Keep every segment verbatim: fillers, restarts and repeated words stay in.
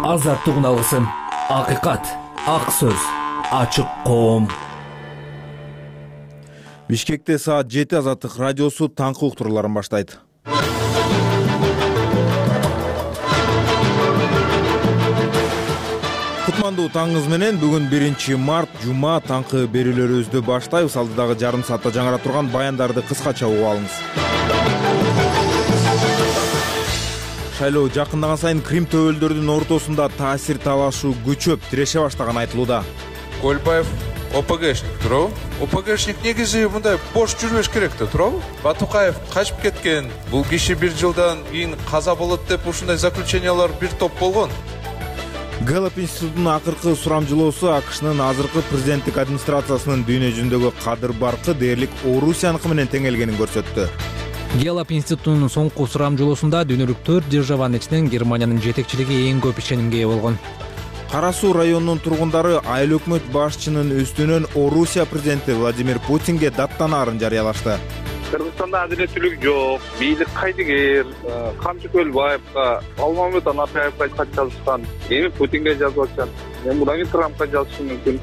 Азаттык алгысым, акыйкат, ак сөз, ачык коом. Бишкекте саат жети Азаттык радиосу таңкы уктурууларын баштайт. Кутмандуу таңыңыз менен. Бүгүн биринчи март жума, таңкы берүүлөрүбүздү баштайбыз. Алдыдагы жарым саатта жаңыра турган баяндарды кыскача угуп алыңыз. Шайлоо жакындаган сайын Крим төбөлдөрдүн ортосунда таасир талашуу күчөп, тиреше баштаганы айтылууда. Көлбаев ОПГшник туурабы? ОПГшник негизи мындай бош жүрбөш керек да, туурабы? Батукаев качып кеткен. Бул киши бир жылдан кийин каза болот деп ушундай заключениялар бир топ болгон. Гэллоп институтунун акыркы сурамжылоосу АКШнын азыркы президенттик администрациясынын дүйнө жүзүндөгү кадыр баркы дээрлик Орусияныкы менен тең келгенин көрсөттү. Гэллоп институтунун соңку сурамжылоосунда дүйнөлүк төрт державанын ичинен Германиянын жетекчилиги эң көп ишенимге ээ болгон. Кара Суу районунун тургундары айыл өкмөт башчынын үстүнөн Орусия президенти Владимир Путинге даттанаарын жарыялашты. Кыргызстанда адилеттүүлүк жок, бийлик кайдыгер, Камчы Көлбаевга, Алмамет Анапаевга кат жазышкан, эми Путинге жазып атышат. Мен мындан кийин Трампка жазышым мүмкүн.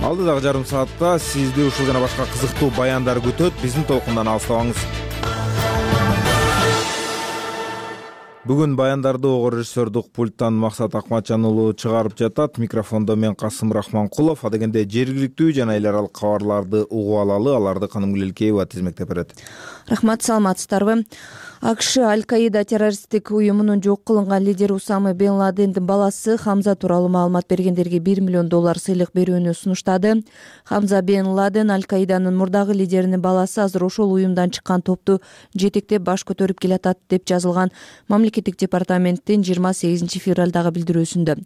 Алдыдагы жарым саатта сизди ушул жана башка кызыктуу баяндар күтөт. Биздин толкундан алыстабаңыз. Бүгүн баяндарды ого режиссердук пульттан Максат Акматжан уулу чыгарып жатат. Микрофондо мен Касым Рахманкулов. Адегенде жергиликтүү жана эл аралык кабарларды угуп алалы. Аларды Канымгүл Элкеева тизмектеп берет. Рахмат, саламатсыздарбы? АКШ Аль-Каида террористтик уюмунун жок кылынган лидери Усама бен Ладендин баласы Хамза тууралуу маалымат бергендерге бир миллион доллар сыйлык берүүнү сунуштады. Хамза бен Ладен Аль-Каиданын мурдагы лидеринин баласы азыр ошол уюмдан чыккан топту жетектеп баш көтөрүп келатат деп жазылган мамлекеттик департаменттин жыйырма сегизинчи февралдагы билдирүүсүндө.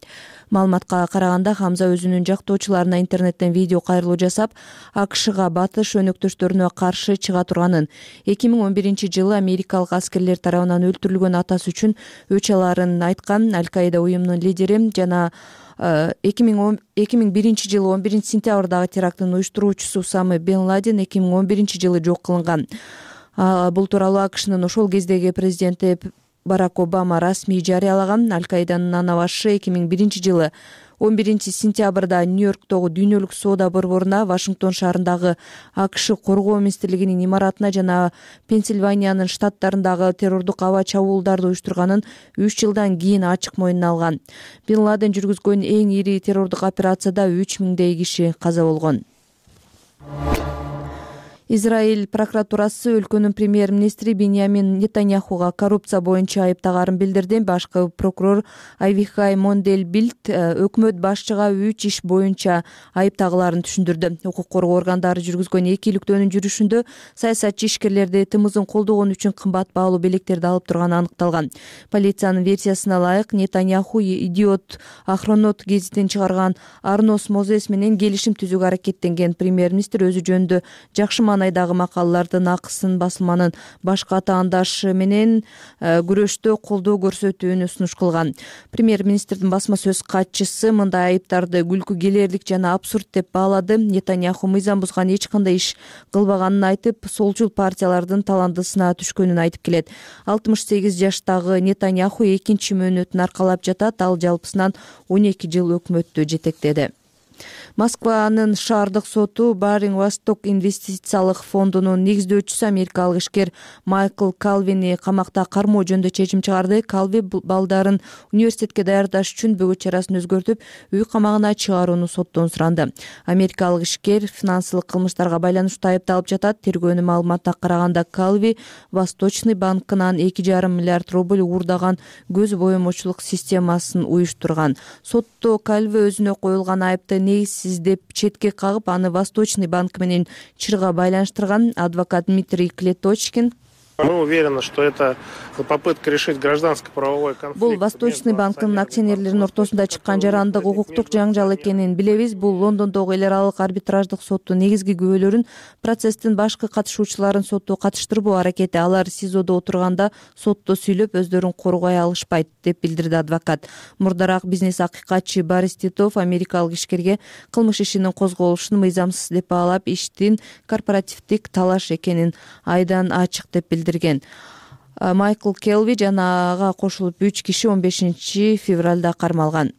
Маалыматка караганда Хамза өзүнүн жактоочуларына интернеттен видео кайрылуу жасап, АКШга батыш өнөктөштөрүнө каршы чыга турганын, эки миң он биринчи жылы америкалык аскерлер тарабынан өлтүрүлгөн атасы үчүн өч аларын айткан. Аль-Каида уюмунун лидери жана эки миң биринчи жылы он биринчи сентябрдагы терактын уюштуруучусу Усама бен Ладен эки миң он биринчи жылы жок кылынган. Бул тууралуу АКШнын ошол кездеги президенти Барак Обама расмий жарыялаган. Аль-Каиданын ана башы эки миң биринчи жылы он биринчи сентябрда Нью-Йорктогу дүйнөлүк соода борборуна, Вашингтон шаарындагы АКШ коргоо министрлигинин имаратына жана Пенсильваниянын штаттарындагы террордук аба чабуулдарды уюштурганын үч жылдан кийин ачык мойнуна алган. Бен Ладен жүргүзгөн эң ири террордук операцияда үч миңдей киши каза болгон. Израиль прокуратурасы өлкөнүн премьер-министри Биньямин Нетаньяхуга коррупция боюнча айыптагаарын билдирди. Башкы прокурор Авихай Монделбильд өкмөт башчыга үч иш боюнча айыптагыларын түшүндүрдү. Укук коргоо органдары жүргүзгөн эки иликтөөнүн жүрүшүндө саясатчы ишкерлерди тымызын колдогон үчүн кымбат баалуу белектерди алып турганы аныкталган. Полициянын версиясына ылайык, Нетаньяху Идиот Ахронот гезитин чыгарган Арнос Мозес менен келишим түзүүгө аракеттенген. Премьер-министр өзү жөнүндө жакшы айдагы макалалардын акысын басылманын башка атаандашы менен күрөштө колдоо көрсөтүүнү сунуш кылган. Премьер-министрдин басма сөз катчысы мындай айыптарды күлкү келерлик жана абсурд деп баалады. Нетаньяху мыйзам бузган эч кандай иш кылбаганын айтып, солчул партиялардын таландысына түшкөнүн айтып келет. алтымыш сегиз жаштагы Нетаньяху экинчи мөөнөтүн аркалап жатат. Ал жалпысынан он эки жыл өкмөттү жетектеди. Москванын шаардык соту Баринг Восток инвестициялык фондунун негиздөөчүсү америкалык ишкер Майкл Калвини камакта кармоо жөнүндө чечим чыгарды. Калви балдарын университетке даярдаш үчүн бөгөт чарасын өзгөртүп, үй камагына чыгарууну соттон суранды. Америкалык ишкер финансылык кылмыштарга байланыштуу айыпталып жатат. Тергөөнүн маалыматына караганда Калви Восточный банкынан эки жарым миллиард рубль уурдаган көз боемочулук системасын уюштурган. Сотто Калви өзүнө коюлган айыпты негизсиз деп четке кагып, аны Восточный банк менен чырга байланыштырган. Адвокат Дмитрий Клеточкин: Мы уверены, что это попытка решить гражданско-правовой конфликт. Бул Восточный банктын акционерлеринин ортосунда чыккан жарандык укуктук жаңжал экенин билебиз. Бул Лондондогу эл аралык арбитраждык соттун негизги күбөлөрүн процесстин башкы катышуучуларын сотто катыштырбоо аракети. Алар СИЗОдо отурганда сотто сүйлөп өздөрүн коргой алышпайт, деп билдирди адвокат. Мурдараак бизнес акыйкатчы Борис Титов америкалык ишкерге кылмыш ишинин козголушун мыйзамсыз деп баалап, иштин корпоративдик талаш экенин айдан ачык деп билдирген. Майкл Келви жана ага кошулуп үч киши он бешинчи февралда кармалган.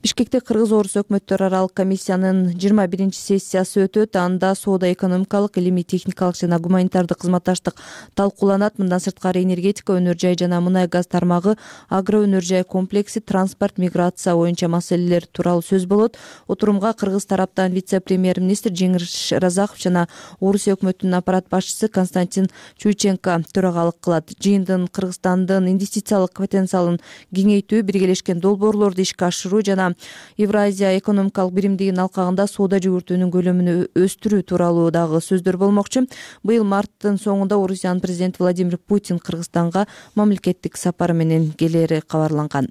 Бишкекте Кыргыз-Орус өкмөттөр аралык комиссиянын жыйырма биринчи сессиясы өтөт. Анда соода-экономикалык, илимий-техникалык жана гуманитардык кызматташтык талкууланат. Мындан сырткары энергетика, өнөр жай жана мунай газ тармагы, агро өнөр жай комплекси, транспорт, миграция боюнча маселелер тууралуу сөз болот. Отурумга Кыргыз тараптан вице-премьер-министр Жеңиш Разаков жана Орусия өкмөтүнүн аппарат башчысы Константин Чуйченко төрагалык кылат. Жыйындын Кыргызстандын инвестициялык потенциалын кеңейтүү, биргелешкен долбоорлорду ишке ашыруу жана Евразия экономикалык биримдигинин алкагында соода жүгүртүүнүн көлөмүн өстүрүү тууралуу дагы сөздөр болмокчу. Быйыл марттын соңунда Орусиянын президенти Владимир Путин Кыргызстанга мамлекеттик сапары менен келери кабарланган.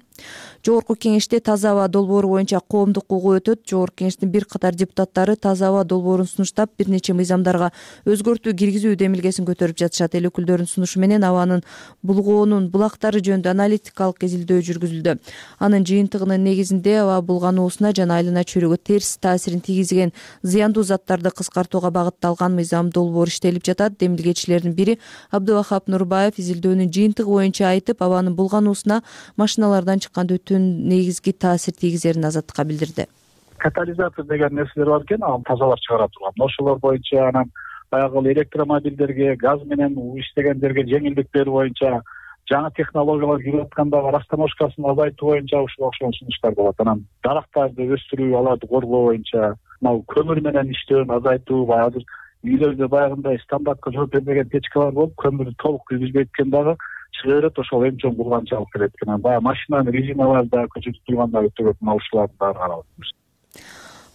Жогорку кеңеште таза аба долбоору боюнча коомдук угуу өтөт. Жогорку кеңештин бир катар депутаттары таза аба долбоорун сунуштап, бир нече мыйзамдарга өзгөртүү киргизүү демилгесин көтөрүп жатышат. Эл өкүлдөрүнүн сунушу менен абанын булгоонун булактары жөнүндө аналитикалык изилдөө жүргүзүлдү. Анын жыйынтыгынын негизинде аба булгануусуна жана айлана чөйрөгө терс таасирин тийгизген зыяндуу заттарды кыскартууга багытталган мыйзам долбоор иштелип жатат. Демилгечилердин бири Абдывахап Нурбаев изилдөөнүн жыйынтыгы боюнча айтып, абанын булгануусуна машиналардан чыккан өтүн негизги таасир тийгизерин Азаттыкка билдирди. Катализатор деген нерселер бар экен, аны тазалап чыгара турган. Ошолор боюнча анан баягы электромобилдерге, газ менен иштегендерге жеңилдиктер боюнча, жаңы технологиялар кирип аткандагы растаможкасын азайтуу боюнча ушул окшогон сунуштар болот. Анан дарактарды өстүрүү, аларды коргоо боюнча, мына көмүр менен иштөөнү азайтуу, баягы үйлөрдө баягындай стандартка жооп бербеген печкалар болуп, көмүрдү толук киргизбей экен дагы чыга берет, ошол эң чоң булганчы алып келет экен. Баягы машинанын резиналарда көчөтүп турганда өтө көп мына ушулардын баары каралат.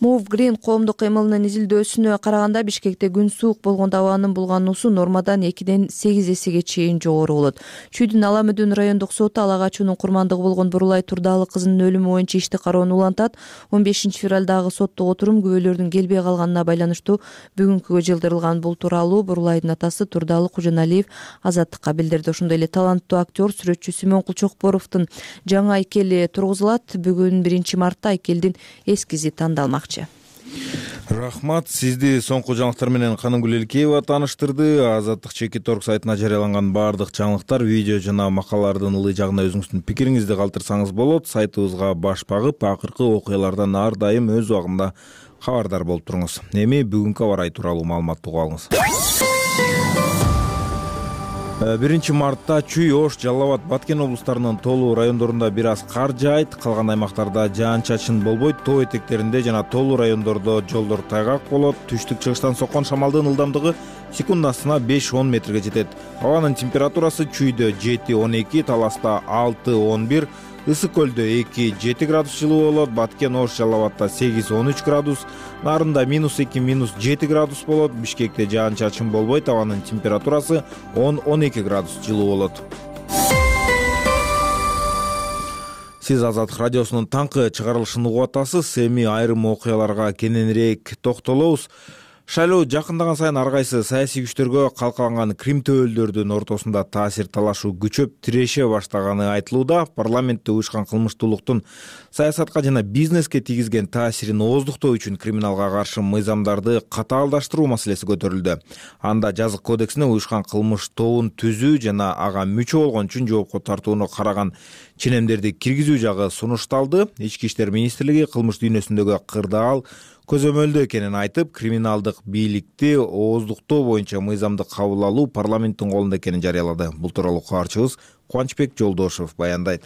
Move Green коомдук кыймылынын изилдөөсүнө караганда Бишкекте күн суук болгондо абанын булгануусу нормадан экиден сегиз эсеге чейин жогору болот. Чүйдүн Ала Мөдөн райондук соту ала качуунун курмандыгы болгон Бурулай Турдалы кызынын өлүмү боюнча ишти кароону улантат. он бешинчи февралдагы соттук отурум күбөлөрдүн келбей калганына байланыштуу бүгүнкүгө жылдырылган. Бул тууралуу Бурулайдын атасы Турдалы Кужаналиев Азаттыкка билдирди. Ошондой эле таланттуу актер, сүрөтчү Симон Кулчокборовдун жаңы айкели тургузулат. Бүгүн биринчи мартта айкелдин эскизи тандалмак. Рахмат, сизди соңку жаңылыктар менен Канымгүл Элкеева тааныштырды. Азаттык чекит орг сайтына жарыяланган баардык жаңылыктар, видео жана макалалардын ылый жагына өзүңүздүн пикириңизди калтырсаңыз болот. Сайтыбызга баш багып, акыркы окуялардан ар дайым өз убагында кабардар болуп туруңуз. Эми бүгүнкү аба ырайы тууралуу маалыматты угуп алыңыз. биринчи мартта Чүй, Ош, Жалал Абад, Баткен облустарынын тоолуу райондорунда бир аз кар жаайт. Калган аймактарда жаан-чачын болбойт. Тоо этектеринде жана тоолуу райондордо жолдор тайгак болот. Түштүк-чыгыштан соккон шамалдын ылдамдыгы секундасына беш он метрге жетет. Абанын температурасы Чүйдө жети он эки, Таласта алты он бир, Ысык көлдө эки жети градус жылуу болот. Баткен, Ош, Жалал Абадта сегиз он үч градус, Нарында минус эки минус жети градус болот. Бишкекте жаан-чачын болбойт. Абанын температурасы он он эки градус жылуу болот. Сиз Азаттык радиосунун таңкы чыгарылышын угуп атасыз. Эми айрым окуяларга кененирээк токтолобуз. Шайлоо жакындаган сайын ар кайсы саясий күчтөргө калкаланган Крим төбөлдөрдүн ортосунда таасир талашуу күчөп тиреше баштаганы айтылууда. Парламентте уюшкан кылмыштуулуктун саясатка жана бизнеске тийгизген таасирин ооздуктоо үчүн криминалга каршы мыйзамдарды катаалдаштыруу маселеси көтөрүлдү. Анда жазык кодексине уюшкан кылмыш тобун түзүү жана ага мүчө болгон үчүн жоопко тартууну караган ченемдерди киргизүү жагы сунушталды. Ички иштер министрлиги кылмыш дүйнөсүндөгү кырдаал көзөмөлдө экенин айтып, криминалдык бийликти ооздуктоо боюнча мыйзамды кабыл алуу парламенттин колунда экенин жарыялады. Бул тууралуу кабарчыбыз Кубанычбек Жолдошев баяндайт.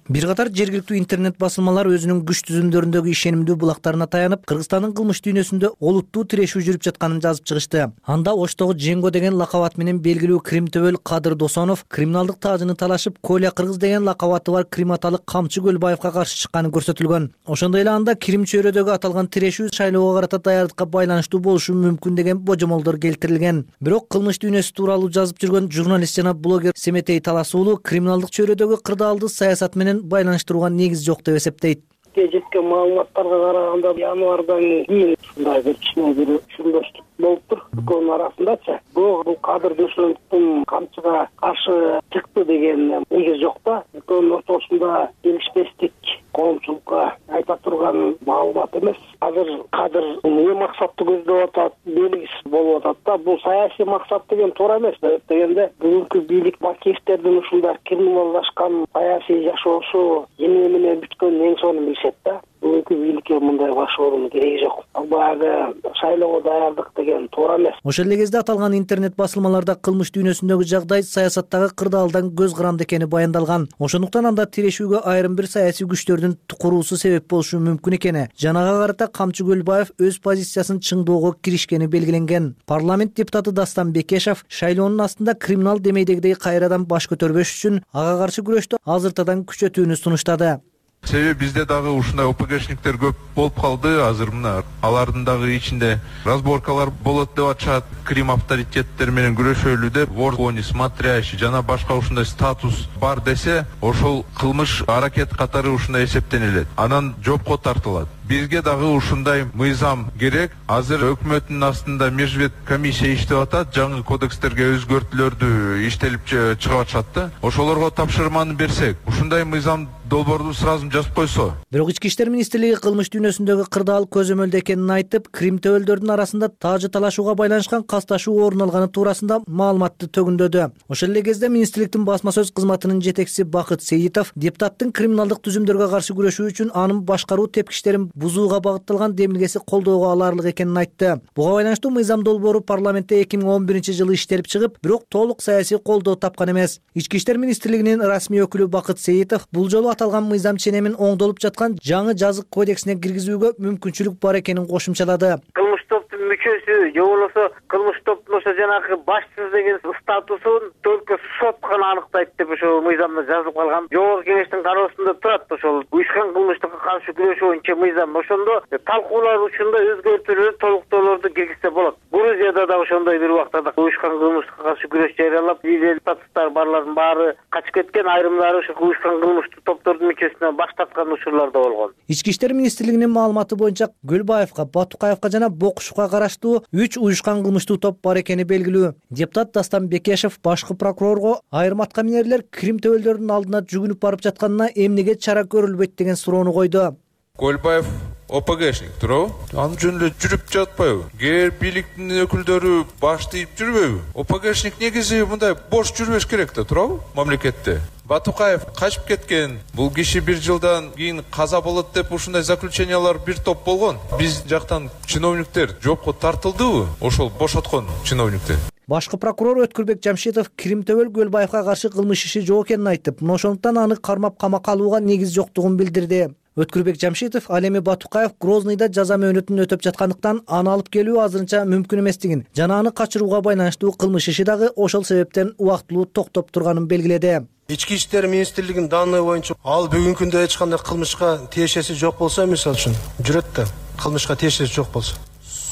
Бир катар жергиликтүү интернет басылмалар өзүнүн күч түзүмдөрүндөгү ишенимдүү булактарына таянып, Кыргызстандын кылмыш дүйнөсүндө олуттуу тирешүү жүрүп жатканын жазып чыгышты. Анда Оштогу Женго деген лакабат менен белгилүү Крим төбөл Кадыр Досонов криминалдык таажыны талашып, Коля Кыргыз деген лакабаты бар криматалык Камчы Көлбаевка каршы чыкканы көрсөтүлгөн. Ошондой эле анда Крим чөйрөдөгү аталган тирешүү шайлоого карата даярдыкка байланыштуу болушу мүмкүн деген божомолдор келтирилген. Бирок кылмыш дүйнөсү тууралуу жазып жүргөн журналист жана блогер Семетей Талас уулу криминалдык чөйрөдөгү кырдаалды саясат менен байланыштырууга негиз жок деп эсептейт. Жеткен маалыматтарга караганда январдан кийин ушундай бир кичине бир түшүнбөчтүк болуптур экөөнүн арасындачы. Бул Кадыр Досоновдун Камчыга каршы чыкты деген негиз жок да. Экөөнүн ортосунда келишпестик коомчулукка айта турган маалымат эмес. Азыр кадыр эмне максатты көздөп атат белгисиз болуп атат да. Бул саясий максат деген туура эмес. Дегенде бүгүнкү бийлик Бакиевтердин ушундай криминалдашкан саясий жашоосу эмне менен бүткөнүн эң сонун билишет да. Бүгүнкү бийликке мындай башоонун кереги жок. Ал баягы шайлоого даярдык деген туура эмес. Ошол эле кезде аталган интернет басылмаларда кылмыш дүйнөсүндөгү жагдай саясаттагы кырдаалдан көз каранды экени баяндалган. Ошондуктан анда тирешүүгө айрым бир саясий күчтөрдүн куруусу себеп болушу мүмкүн экени, жана ага карата Камчы Көлбаев өз позициясын чыңдоого киришкени белгиленген. Парламент депутаты Дастан Бекешев шайлоонун астында криминал демейдегидей кайрадан баш көтөрбөш үчүн ага каршы күрөштү азыртадан күчөтүүнү сунуштады. Себеби бизде дагы ушундай ОПГшниктер көп болуп калды. Азыр мына алардын дагы ичинде разборкалар болот деп атышат. Крим авторитеттер менен күрөшөлү деп вор не смотрящий жана башка ушундай статус бар десе, ошол кылмыш аракет катары ушундай эсептенилет. Анан жоопко тартылат. Бизге дагы ушундай мыйзам керек. Азыр өкмөттүн астында межвет комиссия иштеп атат. Жаңы кодекстерге өзгөртүүлөрдү иштелип чыгып атышат да. Ошолорго тапшырманы берсек, ушундай мыйзам долбоорду сразу жазып койсо. Бирок Ички иштер министрлиги кылмыш дүйнөсүндөгү кырдаал көзөмөлдө экенин айтып, Крим төбөлдөрдүн арасында таажы талашууга байланышкан касташуу орун алганы туурасында маалыматты төгүндөдү. Ошол эле кезде министрликтин басма сөз кызматынын жетекчиси Бакыт Сейитов депутаттын криминалдык түзүмдөргө каршы күрөшүү үчүн анын башкаруу тепкичтерин бузууга багытталган демилгеси колдоого аларлык экенин айтты. Буга байланыштуу мыйзам долбоору парламентте эки миң он биринчи жылы иштелип чыгып, бирок толук саясий колдоо тапкан эмес. Ички иштер министрлигинин расмий өкүлү Бакыт Сейитов бул жолу аталган мыйзам ченемин оңдолуп жаткан жаңы жазык кодексине киргизүүгө мүмкүнчүлүк бар экенин кошумчалады. Кылмыш топтун мүчөсү же болбосо кылмыш топтун ошо жанагы башчысы деген статусун только сот гана аныктайт деп ошо мыйзамда жазылып калган. Жогорку кеңештин кароосунда турат ошол уюшкан кылмыштыкка каршы күрөшүү боюнча мыйзам. Ошондо талкуулар учурунда өзгөртүүлөр, толуктоолорду киргизсе болот. Грузияда да ошондой бир убактарда уюшкан кылмыштыкка каршы күрөш жарыялап, статустар барлардын баары качып кеткен, айрымдары ошо уюшкан кылмыштык топтордун мүчөсүнө баш тарткан учурлар да болгон. Ички иштер министрлигинин маалыматы боюнча Көлбаевка, Батукаевка жана Бокушевка караштуу үч уюшкан кылмыштуу топ бар экени белгилүү. Депутат Дастан Бекешев башкы прокурорго айрым аткаминерлер Крим төбөлдөрдүн алдына жүгүнүп барып жатканына эмнеге чара көрүлбөйт деген суроону койду. Көлбаев ОПГшник туурабы? Анын жөнүндө жүрүп жатпайбы? Кээ бийликтин өкүлдөрү баштайып жүрбөйбү? ОПГшник негизи мындай бош жүрбөш керек да, туурабы? Мамлекетте. Батукаев качып кеткен. Бул киши бир жылдан кийин каза болот деп ушундай заключениялар бир топ болгон. Биз жактан чиновниктер жоопко тартылдыбы? Ошол бошоткон чиновниктер. Башкы прокурор Өткүрбек Жамшитов Крим төбөл Көлбаевка каршы кылмыш иши жок экенин айтып, мына ошондуктан аны кармап камакка алууга негиз жоктугун билдирди. Өткүрбек Жамшитов ал эми Батукаев Грознойдо жаза мөөнөтүн өтөп жаткандыктан аны алып келүү азырынча мүмкүн эместигин, жана аны качырууга байланыштуу кылмыш иши дагы ошол себептен убактылуу токтоп турганын белгиледи. Ички иштер министрлигинин данные боюнча ал бүгүнкү күндө эч кандай кылмышка тиешеси жок болсо, мисалы үчүн жүрөт да, кылмышка тиешеси жок болсо.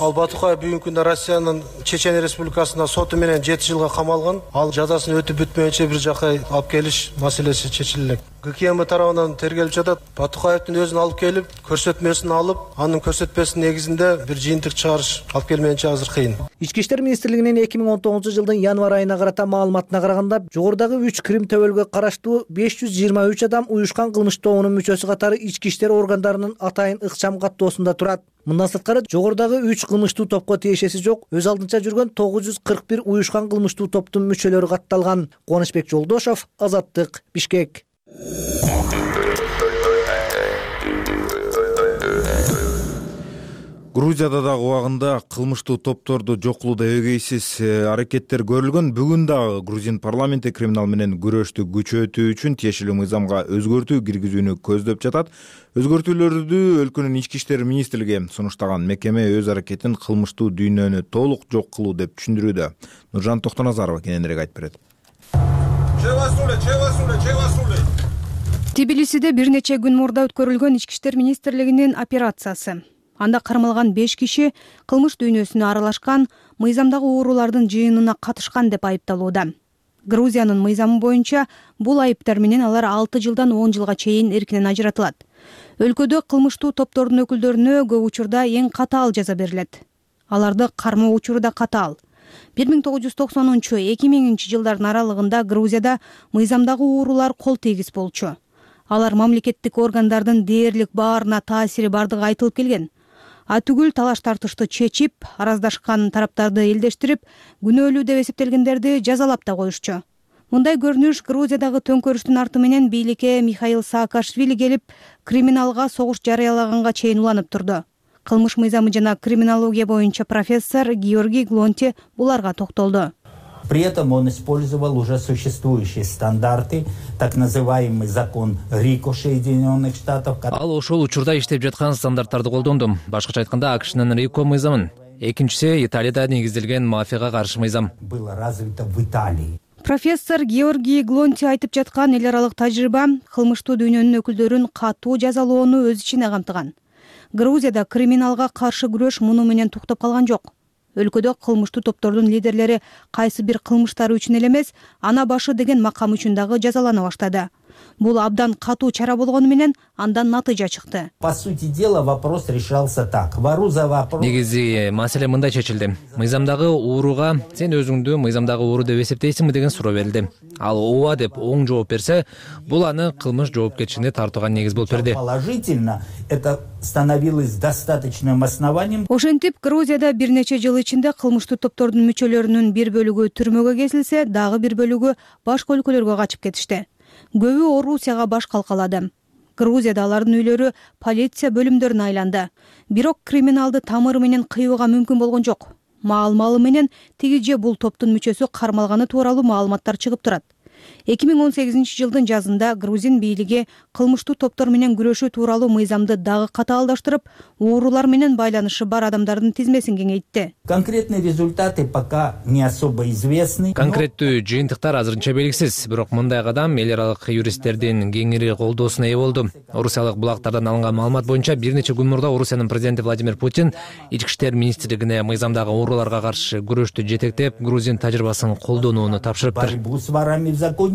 Ал Батукаев бүгүнкү күндө Россиянын Чечен Республикасында соту менен жети жылга камалган. Ал жазасын өтүп бүтмөйүнчө бир жака алып келиш маселеси чечилет. ГКМ тарабынан тергелип жатат. Батукаевдин өзүн алып келип, көрсөтмөсүн алып, анын көрсөтмөсүнүн негизинде бир жыйынтык чыгарыш алып келмейинче азыр кыйын. Ички иштер министрлигинин эки миң он тогузунчу жылдын январь айына карата маалыматына караганда, жогорудагы үч Крим төбөлгө караштуу беш жүз жыйырма үч адам уюшкан кылмыш тобунун мүчөсү катары ички иштер органдарынын атайын ыкчам каттоосунда турат. Мындан сырткары жогорудагы үч кылмыштуу топко тиешеси жок, өз алдынча жүргөн тогуз жүз кырк бир уюшкан кылмыштуу топтун мүчөлөрү катталган. Кубанычбек Жолдошов, Азаттык, Бишкек. Грузияда дагы убагында кылмыштуу топторду жок кылууда эгейсиз аракеттер көрүлгөн. Бүгүн дагы грузин парламенти криминал менен күрөштү күчөтүү үчүн тиешелүү мыйзамга өзгөртүү киргизүүнү көздөп жатат. Өзгөртүүлөрдү өлкөнүн ички иштер министрлиги сунуштаган. Мекеме өз аракетин кылмыштуу дүйнөнү толук жок кылуу деп түшүндүрүүдө. Нуржан Токтоназарова кененирээк айтып берет. Тбилисиде бир нече күн мурда өткөрүлгөн ички иштер министрлигинин операциясы. Анда кармалган беш киши кылмыш дүйнөсүнө аралашкан, мыйзамдагы уурулардын жыйынына катышкан деп айыпталууда. Грузиянын мыйзамы боюнча бул айыптар менен алар алты жылдан он жылга чейин эркинен ажыратылат. Өлкөдө кылмыштуу топтордун өкүлдөрүнө көп учурда эң катаал жаза берилет. Аларды кармоо учуру да катаал. бир миң тогуз жүз токсонунчу эки миңинчи жылдардын аралыгында Грузияда мыйзамдагы уурулар кол тийгиз болчу. алар мамлекеттик органдардын дээрлик баарына таасири бардыгы айтылып келген. Атүгүл талаш тартышты чечип, араздашкан тараптарды элдештирип, күнөөлүү деп эсептелгендерди жазалап да коюшчу. Мындай көрүнүш Грузиядагы төңкөрүштүн арты менен бийликке Михаил Саакашвили келип, криминалга согуш жарыялаганга чейин уланып турду. Кылмыш мыйзамы жана криминология боюнча профессор Георгий Глонти буларга токтолду. При этом он использовал уже существующие стандарты, так называемый закон РИКО Соединенных Штатов. Ал ошол учурда иштеп жаткан стандарттарды колдонду. Башкача айтканда, АКШнын РИКО мыйзамын. Экинчиси Италияда негизделген мафияга каршы мыйзам. Было развито в Италии. Профессор Георгий Глонти айтып жаткан эл аралык тажрыйба кылмыштуу дүйнөнүн өкүлдөрүн катуу жазалоону өз ичине камтыган. Грузияда криминалга каршы күрөш муну менен туктап калган жок. Өлкөдө кылмыштуу топтордун лидерлери кайсы бир кылмыштары үчүн эле эмес, ана башы деген макам үчүн дагы жазалана баштады. Бул абдан катуу чара болгону менен андан натыйжа чыкты. По сути дела, вопрос решался так. Вору за вопрос. Негизи маселе мындай чечилди. Мыйзамдагы ууруга сен өзүңдү мыйзамдагы ууру деп эсептейсиңби деген суроо берилди. Ал ооба деп оң жооп берсе, бул аны кылмыш жоопкерчилигине тартууга негиз болуп берди. Положительно это становилось достаточным основанием. Ошентип, Грузияда бир нече жыл ичинде кылмыштуу топтордун мүчөлөрүнүн бир бөлүгү түрмөгө кезилсе, дагы бир бөлүгү башка өлкөлөргө качып кетишти. Көбү Орусияга баш калкалады. Грузияда алардын үйлөрү полиция бөлүмдөрүнө айланды. Бирок криминалды тамыры менен кыйууга мүмкүн болгон жок. Маал-малы менен тиги же бул топтун мүчөсү кармалганы тууралуу маалыматтар чыгып турат. эки миң он сегизинчи жылдын жазында грузин бийлиги кылмыштуу топтор менен күрөшүү тууралуу мыйзамды дагы катаалдаштырып, уурулар менен байланышы бар адамдардын тизмесин кеңейтти. Конкретные результаты пока не особо известны. Конкреттүү жыйынтыктар азырынча белгисиз, бирок мындай кадам эл аралык юристтердин кеңири колдоосуна ээ болду. Орусиялык булактардан алынган маалымат боюнча бир нече күн мурда Орусиянын президенти Владимир Путин ички иштер министрлигине мыйзамдагы ууруларга каршы күрөштү жетектеп, грузин тажрыйбасын колдонууну тапшырыптыр.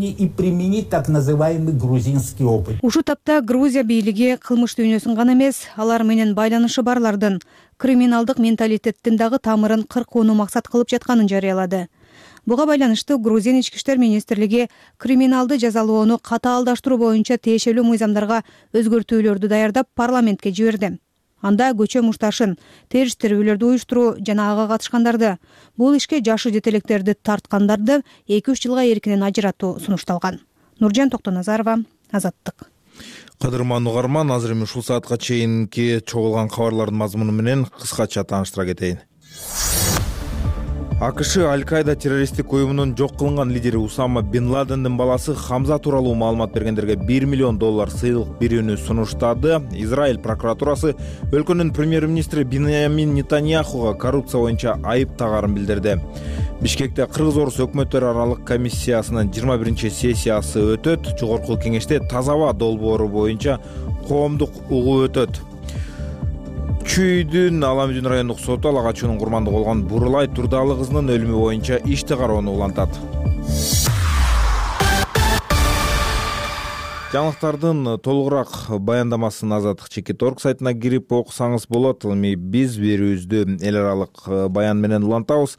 И применить так называемый грузинский опыт. Ушу тапта Грузия бийлиги кылмыш дүйнөсүн гана эмес, алар менен байланышы барлардын криминалдык менталитеттин дагы тамырын кыркууну максат кылып жатканын жарыялады. Буга байланыштуу Грузин ички иштер министрлиги криминалды жазалоону катаалдаштыруу боюнча тиешелүү мыйзамдарга өзгөртүүлөрдү даярдап парламентке жиберди. Анда көчө мушташын, териштирүүлөрдү уюштуруу жана ага катышкандарды, бул ишке жашы жетелектерди тарткандарды эки үч жылга эркинен ажыратуу сунушталган. Нуржан Токтоназарова, Азаттык. Кадырман угарман, азыр эми ушул саатка чейинки чогулган кабарлардын мазмуну менен кыскача тааныштыра кетейин. АКШ Аль-Каида террористтик уюмунун жок кылынган лидери Усама бин Ладендин баласы Хамза тууралуу маалымат бергендерге бир миллион доллар сыйлык берүүнү сунуштады. Израиль прокуратурасы өлкөнүн премьер-министри Биньямин Нетаньяхуга коррупция боюнча айып тагарын билдирди. Бишкекте Кыргыз-Орус өкмөттөр аралык комиссиясынын жыйырма биринчи сессиясы өтөт. Жогорку кеңеште таза аба долбоору боюнча коомдук угуу өтөт. Чүйдүн Аламүдүн райондук соту ала качуунун курмандыгы болгон Бурулай Турдалы кызынын өлүмү боюнча ишти кароону улантат. Жаңылыктардын толугураак баяндамасын Азаттык чекит точка орг сайтына кирип окусаңыз болот. Эми биз берүүбүздү эл аралык баян менен улантабыз.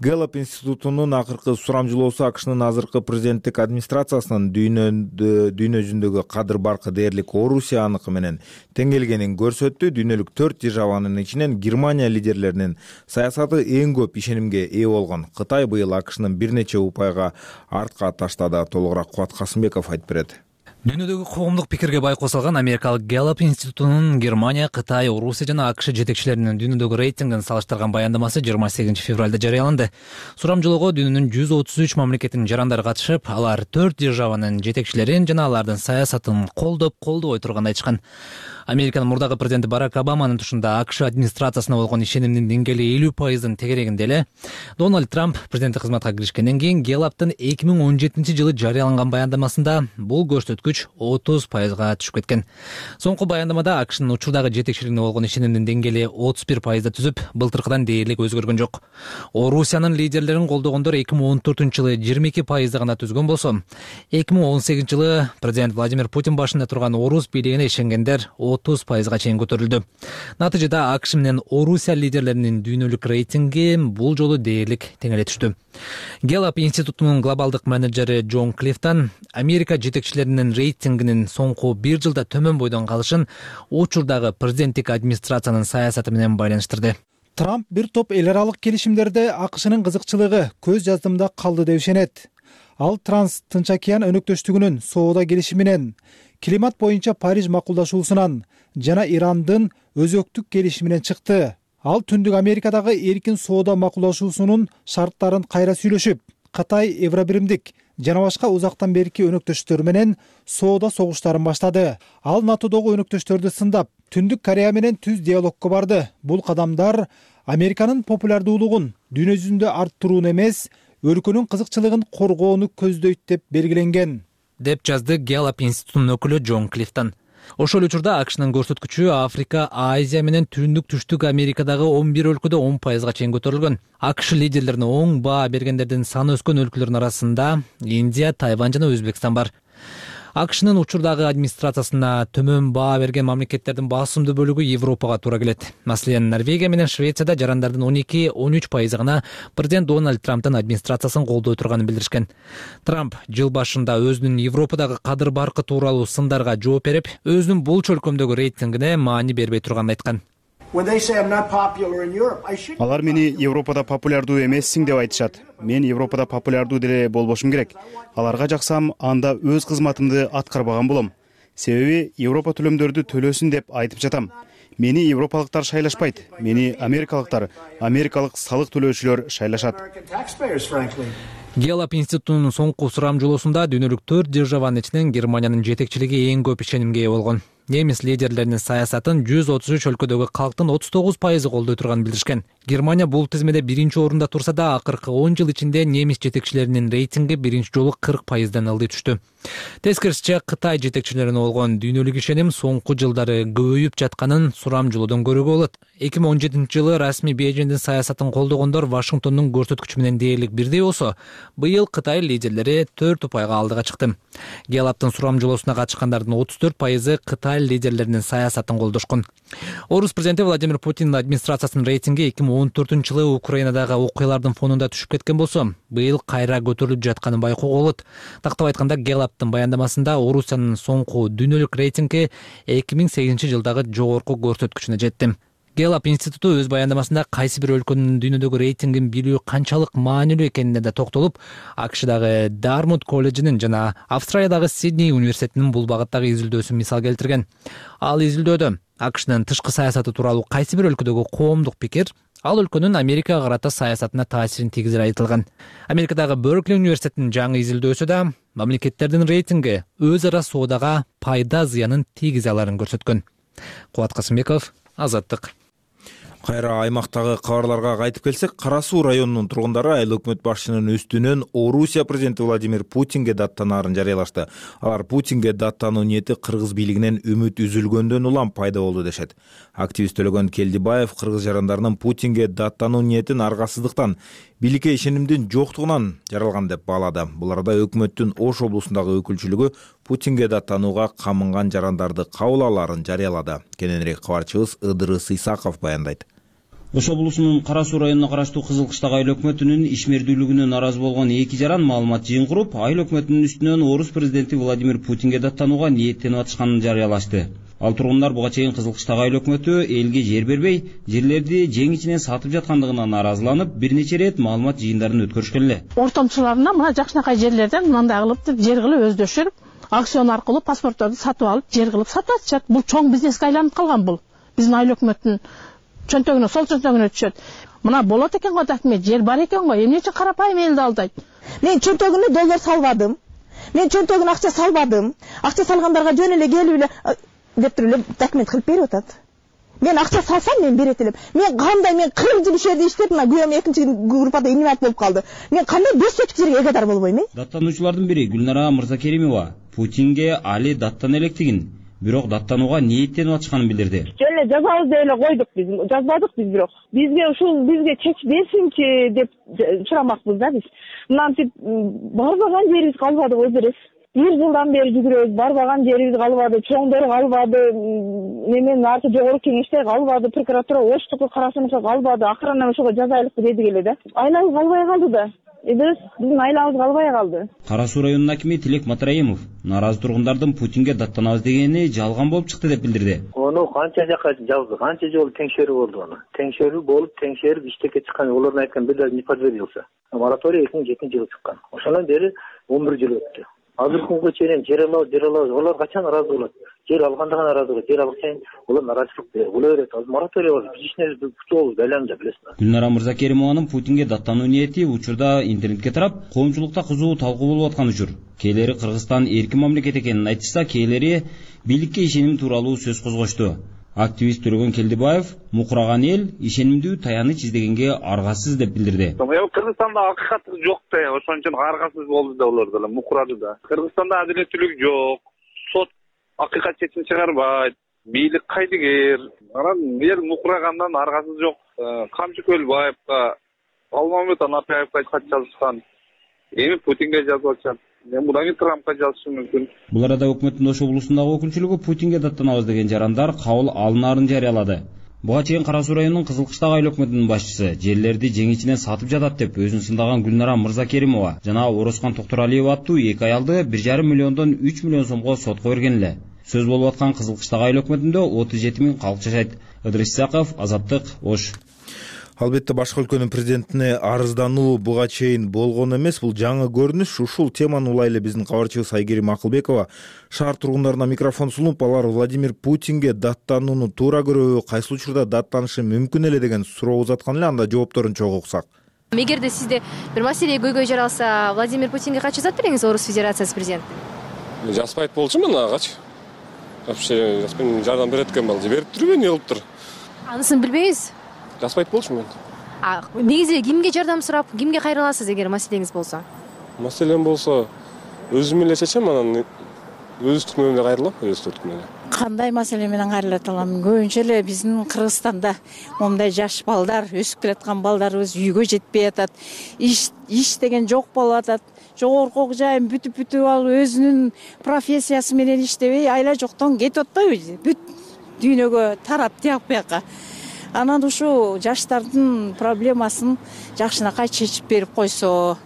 Гэллап институтунун акыркы сурамжылоосу АКШнын азыркы президенттик администрациясынын дүйнө жүзүндөгү кадыр баркы дээрлик Орусия аныкы менен тең келгенин көрсөттү. Дүйнөлүк төрт державанын ичинен Германия лидерлеринин саясаты эң көп ишенимге ээ болгон. Кытай быйыл АКШнын бир нече упайга артка таштады. Толугураак Кубат Касымбеков айтып берет. Дүйнөдөгү коомдук пикирге бай косулган Америкалык Гэллап институтунун Германия, Кытай, Орусия жана АКШ жетекчилеринин дүйнөдөгү рейтингин салыштырган баяндамасы жыйырма сегизинчи февралда жарыяланды. Сурамжылоого дүйнөнүн жүз отуз үч мамлекетинин жарандары катышып, алар төрт державанын жетекчилерин жана алардын саясатын колдоп, колдобой турганын айтышкан. Американын мурдагы президенти Барак Обаманын тушунда АКШ администрациясына болгон ишенимдин деңгээли элүү пайыздын тегерегинде эле. Дональд Трамп президенттик кызматка киришкенден кийин Гэллаптын эки миң он жетинчи жылы жарыяланган баяндамасында бул көрсөткүч отуз пайызга түшүп кеткен. Соңку баяндамада АКШнын учурдагы жетекчилигине болгон ишенимдин деңгээли отуз бир пайызда түзүп, былтыркыдан дээрлик өзгөргөн жок. Орусиянын лидерлерин колдогондор эки миң он төртүнчү жылы жыйырма эки пайызда гана түзгөн болсо, эки миң он сегизинчи жылы президент Владимир Путин башында турган Орус бийлигине ишенгендер отуз пайызга чейин көтөрүлдү. Натыйжада АКШ менен Орусия лидерлеринин дүйнөлүк рейтинги бул жолу дээрлик теңеле түштү. Гэллап институтунун глобалдык менеджери Джон Клифтон Америка жетекчилеринин рейтингинин соңку бир жылда төмөн бойдон калышын учурдагы президенттик администрациянын саясаты менен байланыштырды. Трамп бир топ эл аралык келишимдерде АКШнын кызыкчылыгы көз жаздымда калды деп ишенет. Ал Транс Тынч океан өнөктөштүгүнүн соода келишиминен, климат боюнча Париж макулдашуусунан жана Ирандын өзөктүк келишиминен чыкты. Ал Түндүк Америкадагы эркин соода макулдашуусунун шарттарын кайра сүйлөшүп, Кытай, Евробиримдик жана башка узактан берки өнөктөштөр менен соода согуштарын баштады. Ал НАТОдогу өнөктөштөрдү сындап, Түндүк Корея менен түз диалогко барды. Бул кадамдар Американын популярдуулугун дүйнө жүзүндө арттырууну эмес, өлкөнүн кызыкчылыгын коргоону көздөйт деп белгиленген, деп жазды Gallup институтунун өкүлү Джон Клифтон. Ошол учурда АКШнын көрсөткүчү Африка, Азия менен Түндүк Түштүк Америкадагы он бир өлкөдө он пайызга чейин көтөрүлгөн. АКШ лидерлерине оң баа бергендердин саны өскөн өлкөлөрдүн арасында Индия, Тайвань жана Өзбекстан бар. АКШнын учурдагы администрациясына төмөн баа берген мамлекеттердин басымдуу бөлүгү Европага туура келет. Маселен, Норвегия менен Швецияда жарандардын он эки — он үч пайызы гана президент Дональд Трамптын администрациясын колдой турганын билдиришкен. Трамп жыл башында өзүнүн Европадагы кадыр баркы тууралуу сындарга жооп берип, өзүнүн бул чөлкөмдөгү рейтингине маани бербей турганын айткан. Алар мени Европада популярдуу эмессиң деп айтышат. Мен Европада популярдуу деле болбошум керек. Аларга жаксам, анда өз кызматымды аткарбаган болом. Себеби Европа төлөмдөрдү төлөсүн деп айтып жатам. Мени европалыктар шайлашпайт. Мени америкалыктар, америкалык салык төлөөчүлөр шайлашат. Gallup институтунун соңку сурамжылоосунда дүйнөлүк төрт державанын ичинен Германиянын жетекчилиги эң көп ишенимге ээ болгон. Немис лидерлеринин саясатын жүз отуз үч өлкөдөгү калктын отуз тогуз пайызы колдой турганын билдиришкен. Германия бул тизмеде биринчи орунда турса да, акыркы он жыл ичинде немис жетекчилеринин рейтинги биринчи жолу кырк пайыздан ылдый түштү. Тескерисинче, Кытай жетекчилерине болгон дүйнөлүк ишеним соңку жылдары көбөйүп жатканын сурамжылоодон көрүүгө болот. эки миң он жетинчи жылы расмий Бейжиңдин саясатын колдогондор Вашингтондун көрсөткүчү менен дээрлик бирдей болсо, быйыл Кытай лидерлери төрт упайга алдыга чыкты. Gallup-тын сурамжылоосуна катышкандардын отуз төрт пайызы Кытай лидерлеринин саясатын колдошкон. Орус президенти Владимир Путиндин администрациясынын рейтинги эки миң он төртүнчү жылы Украинадагы окуялардын фонунда түшүп кеткен болсо, быйыл кайра көтөрүлүп жатканын байкоого болот. Тактап айтканда, Gallup-тын баяндамасында Орусиянын соңку дүйнөлүк рейтинги эки миң сегизинчи жылдагы жогорку көрсөткүчүнө жетти. Gallup институту өз баяндамасында кайсы бир өлкөнүн дүйнөдөгү рейтингин билүү канчалык маанилүү экенине да токтолуп, АКШдагы Дармут колледжинин жана Австралиядагы Сидней университетинин бул багыттагы изилдөөсүн мисал келтирген. Ал изилдөөдө АКШнын тышкы саясаты тууралуу кайсы бир өлкөдөгү коомдук пикир ал өлкөнүн Америкага карата саясатына таасирин тийгизери айтылган. Америкадагы Беркли университетинин жаңы изилдөөсү да мамлекеттердин рейтинги өз ара соодага пайда зыянын тийгизе аларын көрсөткөн. Кубат Касымбеков, Азаттык. Кайра аймактагы кабарларга кайтып келсек, Кара Суу районунун тургундары айыл өкмөт башчынын үстүнөн Орусия президенти Владимир Путинге даттанаарын жарыялашты. Алар Путинге даттануу ниети кыргыз бийлигинен үмүт үзүлгөндөн улам пайда болду дешет. Активист Төлөгөн Келдибаев кыргыз жарандарынын Путинге даттануу ниетин аргасыздыктан, бийликке ишенимдин жоктугунан жаралган деп баалады. Бул арада өкмөттүн Ош облусундагы өкүлчүлүгү Путинге даттанууга камынган жарандарды кабыл алаарын жарыялады. Кененирээк кабарчыбыз Ыдырыс Исаков баяндайт. Ош облусунун Кара Суу районуна караштуу Кызыл Кыштак айыл өкмөтүнүн ишмердүүлүгүнө нааразы болгон эки жаран маалымат жыйын куруп, айыл өкмөтүнүн үстүнөн Орус президенти Владимир Путинге даттанууга ниеттенип атышканын жарыялашты. Ал тургундар буга чейин Кызыл Кыштак айыл өкмөтү элге жер бербей, жерлерди жең ичинен сатып жаткандыгына нааразыланып, бир нече ирет маалымат жыйындарын өткөрүшкөн эле. Ортомчуларына мына жакшынакай жерлерден мындай кылып жер кылып өздөшүп, аукцион аркылуу паспортторду сатып алып, жер кылып сатып атышат. Бул чоң бизнеске айланып калган бул. Биздин айыл өкмөттүн чөнтөгүнө, сол чөнтөгүнө түшөт. Мына болот экен го документ, жер бар экен го, эмне үчүн карапайым элди алдайт? Мен чөнтөгүнө доллар салбадым. Мен чөнтөгүнө акча салбадым. Акча салгандарга жөн эле келип эле деп туруп эле документ кылып берип атат. Мен акча салсам мен берет элем. Мен кандай мен кырк жыл ишерди иштеп, мына күйөөм экинчи группада инвалид болуп калды. Мен кандай беш сотик жерге эгедар болбойм э? Даттануучулардын бири Гүлнара Мырзакеримова Путинге али даттана электигин, бирок даттанууга ниеттенип атышканын билдирди. Жөн эле жазабыз деп эле койдук биз. Жазбадык биз бирок. Бизге ушул бизге чеч берсинчи деп сурамакпыз да биз. Мынантип барбаган жерибиз калбады го берес. Бир жылдан бери жүгүрөбүз, барбаган жерибиз калбады, чоңдор калбады, немен арты жогорку кеңеште калбады, прокуратура Оштуку, Кара Сууга калбады. Акырынан ошого жазайлыкты дедик эле да. Айлабыз калбай калды да. эбес биздин айлабыз калбай калды. Кара Суу районунун акими Тилек Матраимов нааразы тургундардын Путинге даттанабыз дегени жалган болуп чыкты деп билдирди. Ону канча жака жазды, канча жолу теңшерүү болду аны. Теңшерүү болуп, теңшерип иштекке чыккан, олордун айткан бир даже не подтвердился. Мораторий эки миң жетинчи жылы чыккан. Ошондон бери он бир жыл өттү. Азыркы күнгө чейин жер алабыз, жер алабыз. Олар качан ыраазы болот? Жер алганда гана ыраазы болот. Жер алсаң, олар наразычылык боло берет. Мораторий бар. Биз ишинебиз бүтөбүз, байланып билесиз. Гүлнара Мырзакеримованын Путинге даттануу ниети учурда интернетке тарап, коомчулукта кызуу талкуу болуп аткан учур. Кээлери Кыргызстан эркин мамлекет экенин айтышса, кээлери бийликке ишеним тууралуу сөз козгошту. Активист Төрөгөн Келдибаев мукураган эл ишенимдүү таяныч издегенге аргасыз деп билдирди. Кыргызстанда акыйкат жок да, ошон үчүн аргасыз болду да, олар да мукурады да. Кыргызстанда адилеттүүлүк жок, сот акыйкат чечим чыгарбайт, бийлик кайдыгер. Анан эл мукурагандан аргасыз жок. Камчы Көлбаевга, Алмамет Анапаевга кат жазышкан. Эми Путинге жазып атышат. Мен мудан кийин Трампка жазышым мүмкүн. Бул арада өкмөттүн Ош облусундагы өкүлчүлүгү Путинге даттанабыз деген жарандар кабыл алынаарын жарыялады. Буга чейин Кара Суу районунун Кызылкыштагы айыл өкмөтүнүн башчысы жерлерди жеңичинен сатып жатат деп өзүн сындаган Гүлнара Мырзакеримова жана Орозкан Токторалиев аттуу эки аялды бир жарым миллиондон үч миллион сомго сотко берген эле. Сөз болуп аткан Кызылкыштагы айыл өкмөтүндө отуз жети миң калк жашайт. Ыдырыс Исаков, Азаттык, Ош. Албетте башка өлкөнүн президентине арыздануу буга чейин болгон эмес. Бул жаңы көрүнүш. Ушул теманы улай эле биздин кабарчыбыз Айгерим Акылбекова шаар тургундарына микрофон сунуп, алар Владимир Путинге даттанууну туура көрөбү, кайсы учурда даттанышы мүмкүн эле деген суроо узаткан эле. Анда жоопторун чогуу уксак. Эгерде сизде бир маселе көйгөй жаралса, Владимир Путинге качуу жазат бериңиз, Орус Федерациясы президенти? Жазбайт болчумун агачы. Вообще жазбайм, жардам берет экен балжы. Берип турбу, эмне болуптур? Анысын билбейбиз. Жазбайт болчумун. А негизи кимге жардам сурап, кимге кайрыласыз эгер маселеңиз болсо? Маселем болсо, өзүм эле чечем, анан өз үстүмө эле кайрылам, өз үстүмө эле. Кандай маселе менен кайрылат алам? Көбүнчө эле биздин Кыргызстанда момундай жаш балдар, өсүп келаткан балдарыбыз үйгө жетпей атат. Иш иш деген жок болуп атат. Жогорку жайын бүтүп-бүтүп алып, өзүнүн профессиясы менен иштебей, айла жоктон кетип атпайбы? Бүт дүйнөгө тарап тияк бияка. Анан ушу жаштардын проблемасын жакшынакай чечип берип койсо,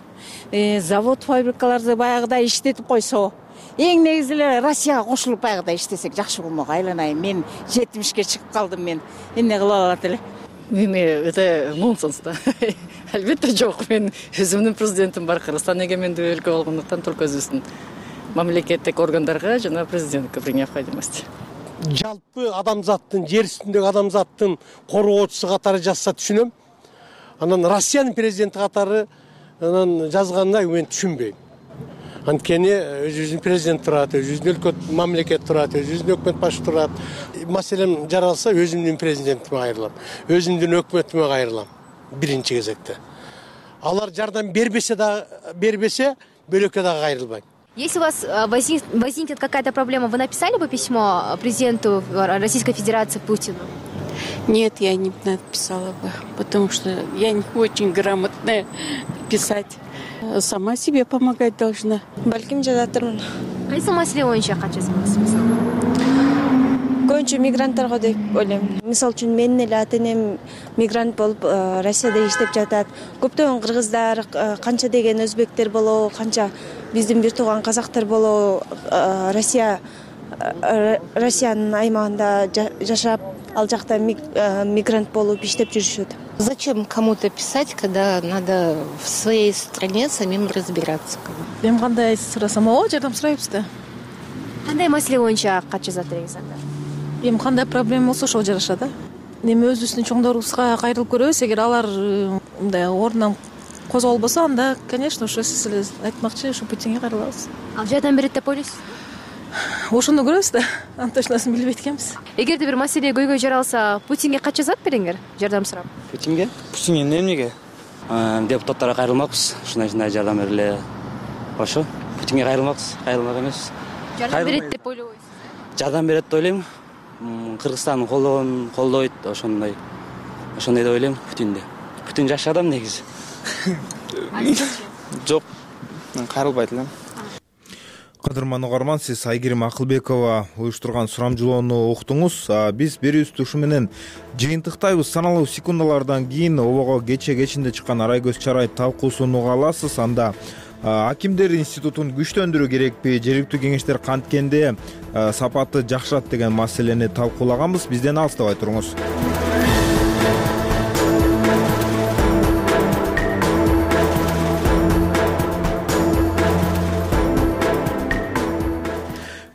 завод фабрикаларды баягыдай иштетип койсо, эң негизи эле Россияга кошулуп баягыдай иштесек жакшы болмок. Айланайын, мен жетимишке чыгып калдым, мен эмне кыла алат эле? Эми это нонсенс да. Албетте жок, мен өзүмдүн президентим бар, Кыргызстан эгемендүү өлкө болгондуктан только өзүбүздүн мамлекеттик органдарга жана президентке при необходимости. Жалпы адамзаттын, жер үстүндөгү адамзаттын коргоочусу катары жазса түшүнөм. Анан Россиянын президенти катары анан жазганда мен түшүнбөйм. Анткени өзүбүздүн президент турат, өзүбүздүн өлкө мамлекет турат, өзүбүздүн өкмөт башы турат. Маселем жаралса өзүмдүн президентиме кайрылам, өзүмдүн өкмөтүмө кайрылам биринчи кезекте. Алар жардам бербесе да бербесе, бөлөккө дагы кайрылбайм. Если у вас возникнет какая-то проблема, вы написали бы письмо президенту Российской Федерации Путину? Нет, я не написала бы, потому что я не очень грамотная писать. Сама себе помогать должна. Балким жазатырмын. Кайсы маселе боюнча кат жазасыз мисалы? Көбүнчө мигранттарга деп ойлойм. Мисалы үчүн менин эле ата-энем мигрант болуп Россияда иштеп жатат. Көптөгөн кыргыздар, канча деген өзбектер болобу, канча биздин бир тууган казактар болобу Россия Россиянын аймагында жашап, ал жакта мигрант болуп иштеп жүрүшөт. Зачем кому-то писать, когда надо в своей стране самим разбираться? Эми кандай сурасам, о, жардам сурайбыз да. Кандай маселе боюнча кат жазат бериңиз анда? Эми кандай проблема болсо ошого жараша да. Эми өзүбүздүн чоңдорубузга кайрылып көрөбүз, эгер алар мындай ордунан козголбосо, анда, конечно, ошо сиз эле айтмакчы, ушу Путинге кайрылабыз. Ал жардам берет деп ойлойсуз? Ошондо көрөбүз да. Антошнасын билбейт экенбиз. Эгерде бир маселе көйгөй жаралса, Путинге кат жазат бериңер, жардам сурап? Путинге? Путинге эмнеге? Депутаттарга кайрылмакпыз, ушундай-ушундай жардам бергиле. Ошо. Путинге кайрылмакпыз, кайрылмак эмес. Жардам берет деп ойлойсуз? Жардам берет деп ойлойм. Кыргызстан колдогон, колдойт, ошондой. Ошондой деп ойлойм Путинди. Путин жаш адам негизи. Жок, кайрылбайт элем. Кадырман угарман, сиз Айгерим Акылбекова уюштурган сурамжылоону уктуңуз. Биз берүүбүздү ушу менен жыйынтыктайбыз. Саналуу секундалардан кийин обого кече кечинде чыккан Арай көз чарай талкуусун уга аласыз. Анда акимдер институтун күчтөндүрүү керекпи, жергиликтүү кеңештер канткенде сапаты жакшырат деген маселени талкуулаганбыз. Бизден алыстабай туруңуз.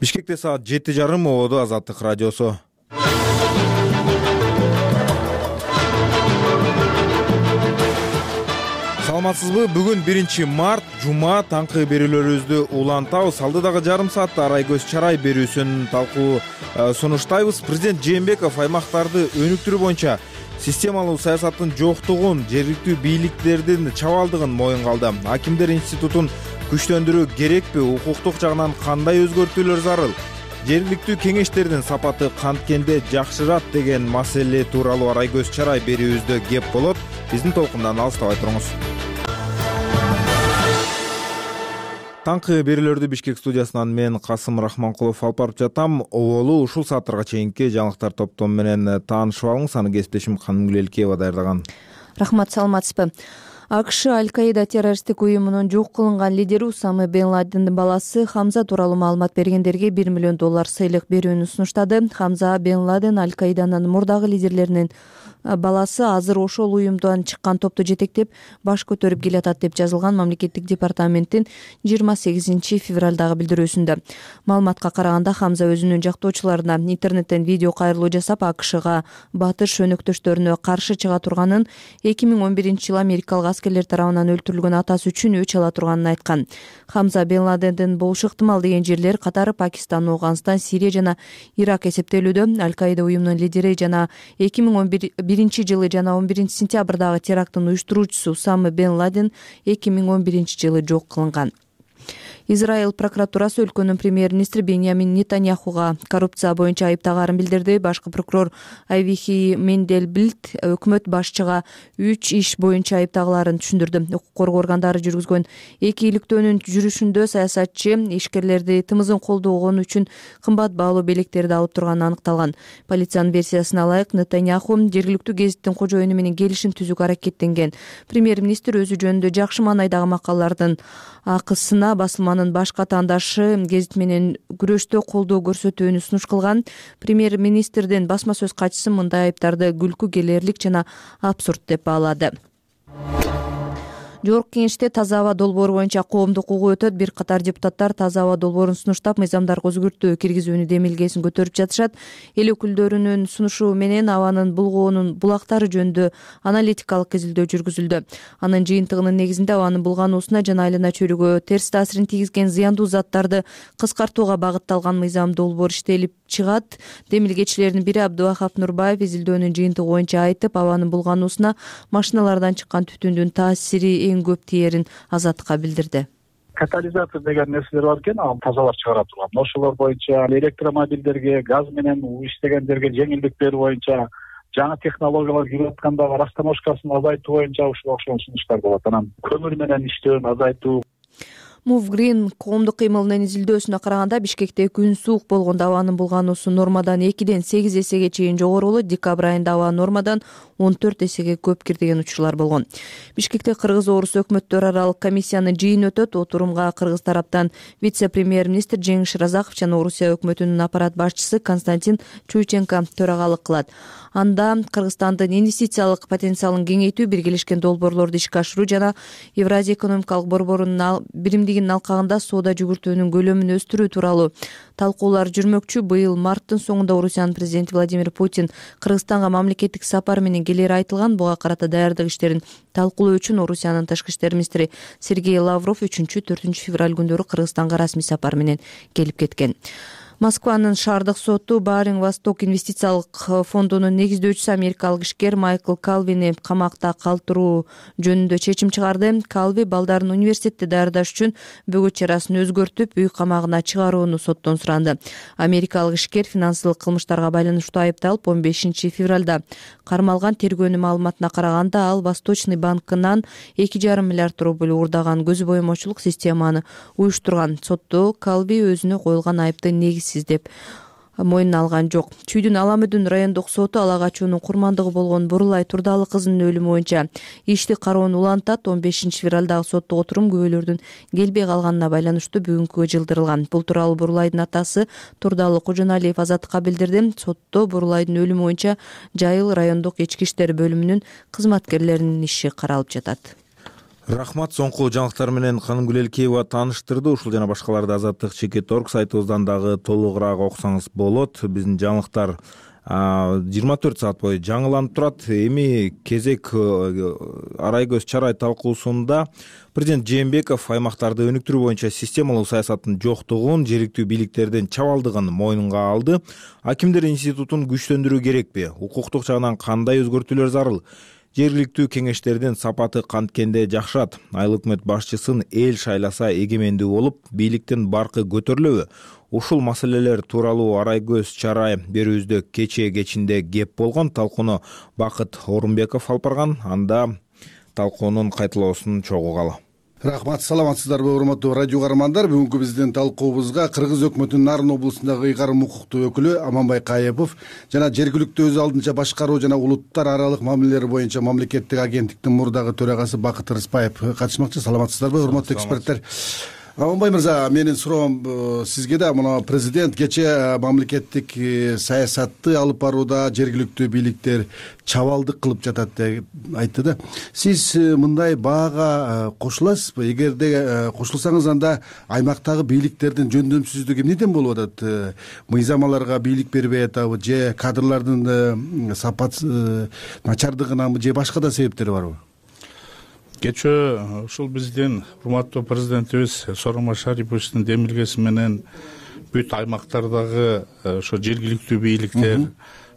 Бишкекте саат жети жарым, ободо Азаттык радиосу. Саламатсызбы? Бүгүн биринчи март, жума, таңкы берүүлөрүбүздү улантабыз. Алдыдагы жарым саатта Арай көз чарай берүүсүн талкуу сунуштайбыз. Президент Жээнбеков аймактарды өнүктүрүү боюнча системалуу саясаттын жоктугун, жергиликтүү бийликтердин чабалдыгын моюнга алды. Акимдер институтун күчтөндүрүү керекпи, укуктук жагынан кандай өзгөртүүлөр зарыл, жергиликтүү кеңештердин сапаты канткенде жакшырат деген маселе тууралуу Арай көз чарай берүүбүздө кеп болот. Биздин толкундан алыстабай туруңуз. Таңкы берүүлөрдү Бишкек студиясынан мен Касым Рахманкулов алып барып жатам. Оболу ушул сааттарга чейинки жаңылыктар топтому менен таанышып алыңыз. Аны кесиптешим Канымгүл Элкеева даярдаган. Рахмат, саламатсызбы? АКШ Аль-Каида террористтик уюмунун жок кылынган лидери Усама бен Ладендин баласы Хамза тууралуу маалымат бергендерге бир миллион доллар сыйлык берүүнү сунуштады. Хамза бен Ладен Аль-Каиданын мурдагы лидерлеринин баласы, азыр ошол уюмдан чыккан топту жетектеп баш көтөрүп келатат деп жазылган мамлекеттик департаменттин жыйырма сегизинчи февралдагы билдирүүсүндө. Маалыматка караганда Хамза өзүнүн жактоочуларына интернеттен видео кайрылуу жасап, АКШга батыш өнөктөштөрүнө каршы чыга турганын, эки миң он биринчи жылы америкалык аскерлер тарабынан өлтүрүлгөн атасы үчүн өч ала турганын айткан. Хамза бен Ладендин болушу ыктымал деген жерлер катары Пакистан, Афганистан, Сирия жана Ирак эсептелүүдө. Аль-Каида уюмунун лидери жана эки миң он биринчи жылы жана он биринчи сентябрдагы теракттын уюштуруучусу Усама бен Ладен эки миң он биринчи жылы жок кылынган. Израиль прокуратурасы өлкөнүн премьер-министри Беньямин Нетаньяхуга коррупция боюнча айыптагаарын билдирди. Башкы прокурор Авихи Мендельблит өкмөт башчыга үч иш боюнча айыптагаларын түшүндүрдү. Укук коргоо органдары жүргүзгөн эки иликтөөнүн жүрүшүндө саясатчы ишкерлерди тымызын колдогон үчүн кымбат баалуу белектерди алып турганы аныкталган. Полициянын версиясына ылайык, Нетаньяху жергиликтүү гезиттин кожоюну менен келишим түзүүгө аракеттенген. Премьер-министр өзү жөнүндө жакшы маанайдагы макалалардын акысына басылманын башка таңдашы гезит менен күрөштө колдоо көрсөтүүнү сунуш кылган. Премьер-министрдин басма сөз катчысы мындай айыптарды күлкү келерлик жана абсурд деп баалады. Жогорку кеңеште таза аба долбоору боюнча коомдук угуу өтөт. Бир катар депутаттар таза аба долбоорун сунуштап, мыйзамдарга өзгөртүү киргизүүнү демилгесин көтөрүп жатышат. Эл өкүлдөрүнүн сунушу менен абанын булгоонун булактары жөнүндө аналитикалык изилдөө жүргүзүлдү. Анын жыйынтыгынын негизинде абанын булгануусуна жана айлана чөйрөгө терс таасирин тийгизген зыяндуу заттарды кыскартууга багытталган мыйзам долбоор иштелип чыгат. Демилгечилердин бири Абдывахап Нурбаев изилдөөнүн жыйынтыгы боюнча айтып, абанын булгануусуна машиналардан чыккан түтүндүн таасири эң көп тиерин Азаттыкка билдирди. Катализатор деген нерселер бар экен, ал тазалап чыгара турган. Ошолор боюнча электромобилдерге, газ менен иштегендерге жеңилдик берүү боюнча, жаңы технологиялар кирип аткандагы растаможкасын азайтуу боюнча ушул окшогон сунуштар болот. Анан көмүр менен иштөөнү азайтуу. Move Green коомдук кыймылынын изилдөөсүнө караганда, Бишкекте күн суук болгондо абанын булгануусу нормадан экиден сегиз эсеге чейин жогору болот. Декабрь айында аба нормадан он төрт эсеге көп кир деген учурлар болгон. Бишкекте Кыргыз-Орус өкмөттөр аралык комиссиянын жыйыны өтөт. Отурумга Кыргыз тараптан вице-премьер-министр Жеңиш Шыразаков жана Орусия өкмөтүнүн аппарат башчысы Константин Чуйченко төрагалык кылат. Анда Кыргызстандын инвестициялык потенциалын кеңейтүү, биргелешкен долбоорлорду ишке ашыруу жана Евразия экономикалык борборунун биримдигинин алкагында соода жүгүртүүнүн көлөмүн өстүрүү тууралуу талкуулар жүрмөкчү. Быйыл марттын соңунда Орусиянын президенти Владимир Путин Кыргызстанга мамлекеттик сапар менен келери айтылган. Буга карата даярдык иштерин талкуулоо үчүн Орусиянын тышкы иштер министри Сергей Лавров үчүнчү төртүнчү февраль күндөрү Кыргызстанга расмий сапар менен келип кеткен. Москванын шаардык соту Баринг Восток инвестициялык фондунун негиздөөчүсү америкалык ишкер Майкл Калвини камакта калтыруу жөнүндө чечим чыгарды. Калви балдарын университетте даярдаш үчүн бөгөт чарасын өзгөртүп, үй камагына чыгарууну соттон суранды. Америкалык ишкер финансылык кылмыштарга байланыштуу айыпталып, он бешинчи февралда кармалган. Тергөөнүн маалыматына караганда, ал Восточный банкынан эки жарым миллиард рубль уурдаган көз боемочулук системаны уюштурган. Сотто Калви өзүнө коюлган айыпты негизсиз деп мойнуна алган жок. Чүйдүн Аламүдүн райондук соту ала качуунун курмандыгы болгон Бурулай Турдалы кызынын өлүмү боюнча ишти кароону улантат. он бешинчи февралдагы соттук отурум күбөлөрдүн келбей калганына байланыштуу бүгүнкүгө жылдырылган. Бул тууралуу Бурулайдын атасы Турдалы Кожоналиев Азаттыкка билдирди. Сотто Бурулайдын өлүмү боюнча Жайыл райондук ички иштер бөлүмүнүн кызматкерлеринин иши каралып жатат. Рахмат. Соңку жаңылыктар менен Каным Гүлелкеева тааныштырды. Ушул жана башкаларды Азаттык чекит орг сайтыбыздан дагы толугураак окусаңыз болот. Биздин жаңылыктар жыйырма төрт саат бою жаңыланып турат. Эми кезек Арайгөз Чарай талкуусунда президент Жээнбеков аймактарды өнүктүрүү боюнча системалуу саясаттын жоктугун, жергиликтүү бийликтердин чабалдыгын мойнунга алды. Акимдер институтун күчтөндүрүү керекпи? Укуктук жагынан кандай өзгөртүүлөр зарыл? Жергиликтүү кеңештердин сапаты канткенде жакшырат. Айыл өкмөт башчысын эл шайласа эгемендүү болуп, бийликтин баркы көтөрүлөбү? Ушул маселелер тууралуу Арайгөз Чарай берүүбүздө кечээ кечинде кеп болгон. Талкууну Бакыт Орунбеков алып барган. Анда талкуунун кайталоосун чогугалы. Рахмат, саламатсыздарбы урматтуу радио каармандар. Бүгүнкү биздин талкуубузга Кыргыз өкмөтүнүн Нарын облусундагы ыйгарым укуктуу өкүлү Аманбай Каепов жана жергиликтүү өз алдынча башкаруу жана улуттар аралык мамилелер боюнча мамлекеттик агенттиктин мурдагы төрагасы Бакыт Рыспаев катышмакчы. Саламатсыздарбы урматтуу эксперттер? Аманбай мырза, менин суроом сизге да. Мына президент кечээ мамлекеттик саясатты алып барууда жергиликтүү бийликтер чабалдык кылып жатат деп айтты да. Сиз мындай баага кошуласызбы? Эгерде кошулсаңыз, анда аймактагы бийликтердин жөндөмсүздүгү эмнеден болуп атат? Мыйзамаларга бийлик бербей атабы, же кадрлардын сапат начардыгынанбы, же башка да себептери барбы? Кечээ ушул биздин урматтуу президентибиз Сооронбай Шариповичтин демилгеси менен бүт аймактардагы ошо жергиликтүү бийликтер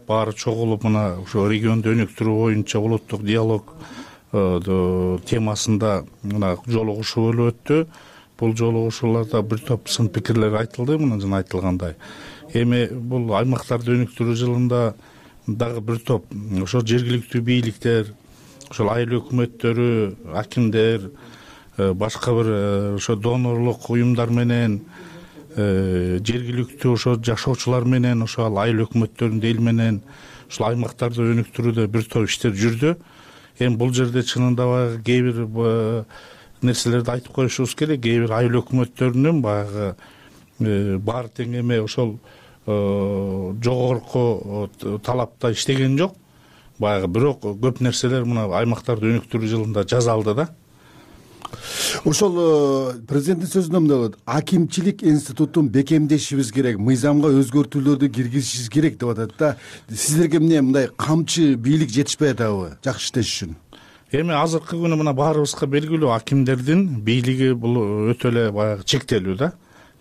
баары чогулуп, мына ошо регионду өнүктүрүү боюнча улуттук диалог темасында мына жолугушуу болуп өттү. Бул жолугушууларда бир топ сын пикирлер айтылды, мына жана айтылгандай. Эми бул аймактарды өнүктүрүү жылында дагы бир топ ошо жергиликтүү бийликтер, ошол айыл өкмөттөрү, акимдер, башка бир ошо донорлук уюмдар менен, жергиликтүү ошо жашоочулар менен, ошо айыл өкмөттөрүнүн эл менен ушул аймактарды өнүктүрүүдө бир топ иштер жүрдү. Эми бул жерде чынында баягы кээ бир нерселерди айтып коюшубуз керек. Кээ бир айыл өкмөттөрүнүн баягы баары тең эме ошол жогорку талапта иштеген жок. Баягы бирок көп нерселер мына аймактарды өнүктүрүү жылында жасалды да. Ошол президенттин сөзүндө мындай болот: акимчилик институтун бекемдешибиз керек, мыйзамга өзгөртүүлөрдү киргизишибиз керек деп атат да. Сиздерге эмне мындай камчы бийлик жетишпей атабы жакшы иштеш үчүн? Эми азыркы күнү мына баарыбызга белгилүү, акимдердин бийлиги бул өтө эле баягы чектелүү да.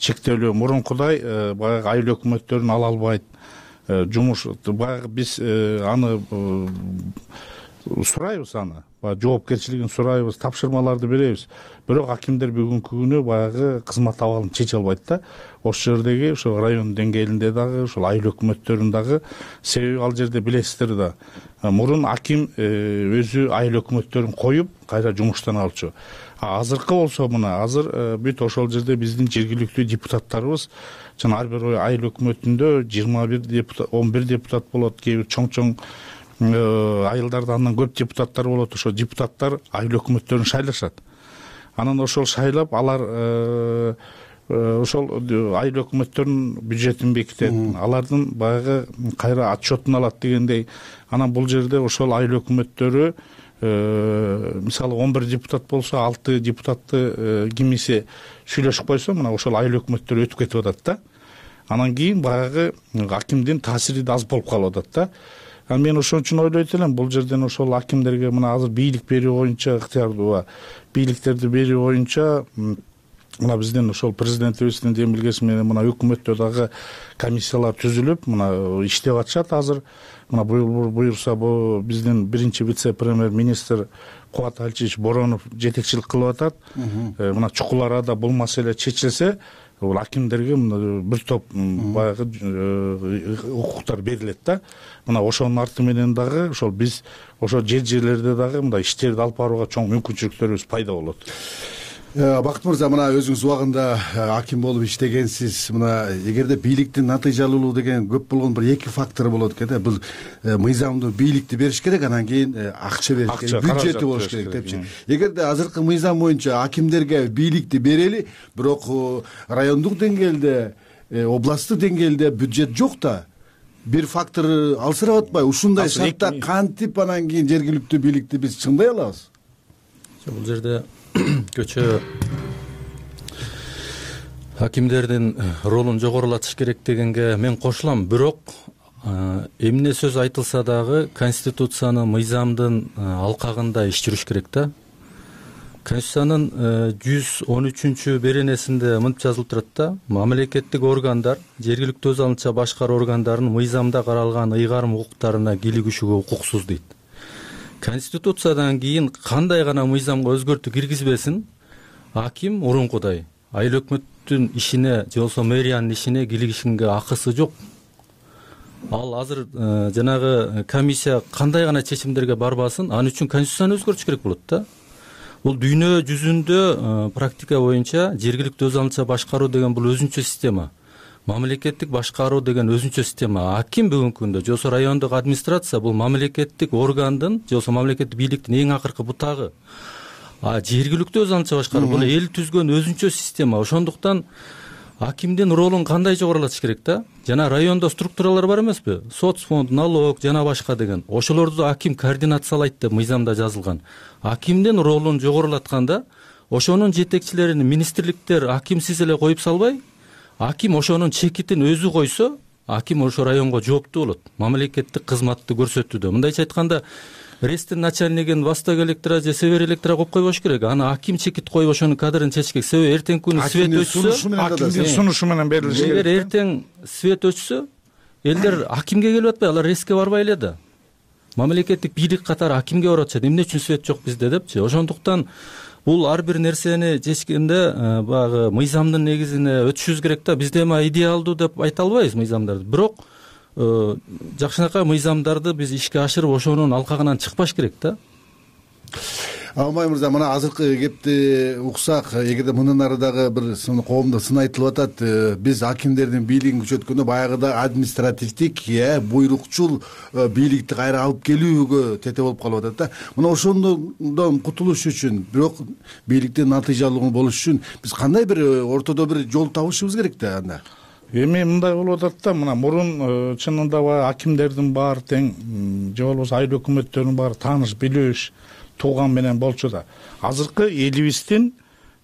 Чектелүү мурункудай баягы айыл өкмөттөрүн ала албайт. Жумуш баягы биз аны сурайбыз, аны жоопкерчилигин сурайбыз, тапшырмаларды беребиз. Бирок акимдер бүгүнкү күнү баягы кызмат абалын чече албайт да. Ошол жердеги ошо район деңгээлинде дагы, ошол айыл өкмөттөрүн дагы, себеби ал жерде билесиздер да, мурун аким өзү айыл өкмөттөрүн коюп кайра жумуштан алчу. Азыркы болсо мына азыр бүт ошол жерде биздин жергиликтүү депутаттарыбыз жана ар бир айыл өкмөтүндө жыйырма бир депутат, он бир депутат болот, кээ бир чоң-чоң айылдарда андан көп депутаттар болот. Ошо депутаттар айыл өкмөттөрүн шайлашат. Анан ошол шайлап алар ошол айыл өкмөттөрүнүн бюджетин бекитет, алардын баягы кайра отчетун алат дегендей. Анан бул жерде ошол айыл өкмөттөрү мисалы он бир депутат болсо, алты депутатты кимиси сүйлөшүп койсо, мына ошол айыл өкмөттөр өтүп кетип атат да. Анан кийин баягы акимдин таасири да аз болуп калып атат да. Анан мен ошон үчүн ойлойт элем, бул жерден ошол акимдерге мына азыр бийлик берүү боюнча ыктыярдуу бийликтерди берүү боюнча мына биздин ошол президентибиздин демилгеси менен мына өкмөттө дагы комиссиялар түзүлүп мына иштеп атышат азыр. Мына буюрса бул биздин биринчи вице премьер министр Кубат Алчевич Боронов жетекчилик кылып атат. Мына чукул арада бул маселе чечилсе, бул акимдерге бир топ баягы укуктар берилет да. Мына ошонун арты менен дагы ошол биз ошо жер жерлерде дагы мындай иштерди алып барууга чоң мүмкүнчүлүктөрүбүз пайда болот. Бакыт мырза, мына өзүңүз убагында аким болуп иштегенсиз. Мына эгерде бийликтин натыйжалуулугу деген көп болгон бир эки фактор болот экен да. Бул мыйзамдуу бийликти бериш керек, анан кийин акча бериш керек, бюджети болуш керек депчи. Эгерде азыркы мыйзам боюнча акимдерге бийликти берели, бирок райондук деңгээлде, областтык деңгээлде бюджет жок да, бир фактор алсырап атпайбы? Ушундай шартта кантип анан кийин жергиликтүү бийликти биз чыңдай алабыз? Бул жерде көчө акимдердин ролун жогорулатыш керек дегенге мен кошулам. Бирок эмне сөз айтылса дагы Конституциянын, мыйзамдын алкагында иш жүрүш керек да. Конституциянын жүз он үчүнчү беренесинде мынтип жазылып турат да: мамлекеттик органдар жергиликтүү өз алдынча башкаруу органдарынын мыйзамда каралган ыйгарым укуктарына кийлигишүүгө укуксуз дейт. Конституциядан кийин кандай гана мыйзамга өзгөртүү киргизбесин, аким мурункудай айыл өкмөттүн ишине же болбосо мэриянын ишине кийлигишинге акысы жок. Ал азыр жанагы комиссия кандай гана чечимдерге барбасын, ал үчүн конституцияны өзгөртүш керек болот да. Бул дүйнө жүзүндө практика боюнча жергиликтүү өз алдынча башкаруу деген бул өзүнчө система. Мамлекеттик башкаруу деген өзүнчө система. Аким бүгүнкү күндө же болбосо райондук администрация бул мамлекеттик органдын же болбосо мамлекеттик бийликтин эң акыркы бутагы. А жергиликтүү өз алдынча башкаруу бул эл түзгөн өзүнчө система. Ошондуктан акимдин ролун кандай жогорулатыш керек да? Жана райондо структуралар бар эмеспи? Соцфонд, налог жана башка деген. Ошолорду аким координациялайт деп мыйзамда жазылган. Акимдин ролун жогорулатканда ошонун жетекчилерин министрликтер акимсиз эле коюп салбай, аким ошонун чекитин өзү койсо, аким ошо районго жооптуу болот мамлекеттик кызматты көрсөтүүдө. Мындайча айтканда, рестин начальнигин восток электро же север электро коюп койбош керек. Аны аким чекит коюп ошонун кадрын чечиш керек. Себеби эртең күнү свет өчсө, акимдин сунушу менен берилиш керек. Эгер эртең свет өчсө, элдер акимге келип атпай, алар реске барбай эле да. Мамлекеттик бийлик катары акимге барып атышат. Эмне үчүн свет жок бизде депчи. Ошондуктан бул ар бир нерсени чечкенде баягы мыйзамдын негизине өтүшүбүз керек да. Бизде эми идеалдуу деп айта албайбыз мыйзамдарды. Бирок жакшынакай мыйзамдарды биз ишке ашырып ошонун алкагынан чыкпаш керек да. Алмай мырза, мына азыркы кепти уксак, эгерде мындан ары дагы бир коомдо сын айтылып атат, биз акимдердин бийлигин күчөткөндө баягыда административдик, э, буйрукчул бийликти кайра алып келүүгө тете болуп калып атат да. Мына ошондон кутулуш үчүн, бирок бийликтин натыйжалуу болуш үчүн биз кандай бир ортодо бир жол табышыбыз керек да анда? Эми мындай болуп атат да, мына мурун чынында баягы акимдердин баары тең же болбосо айыл өкмөттөрүнүн баары тааныш билиш тууган менен болчу да. Азыркы элибиздин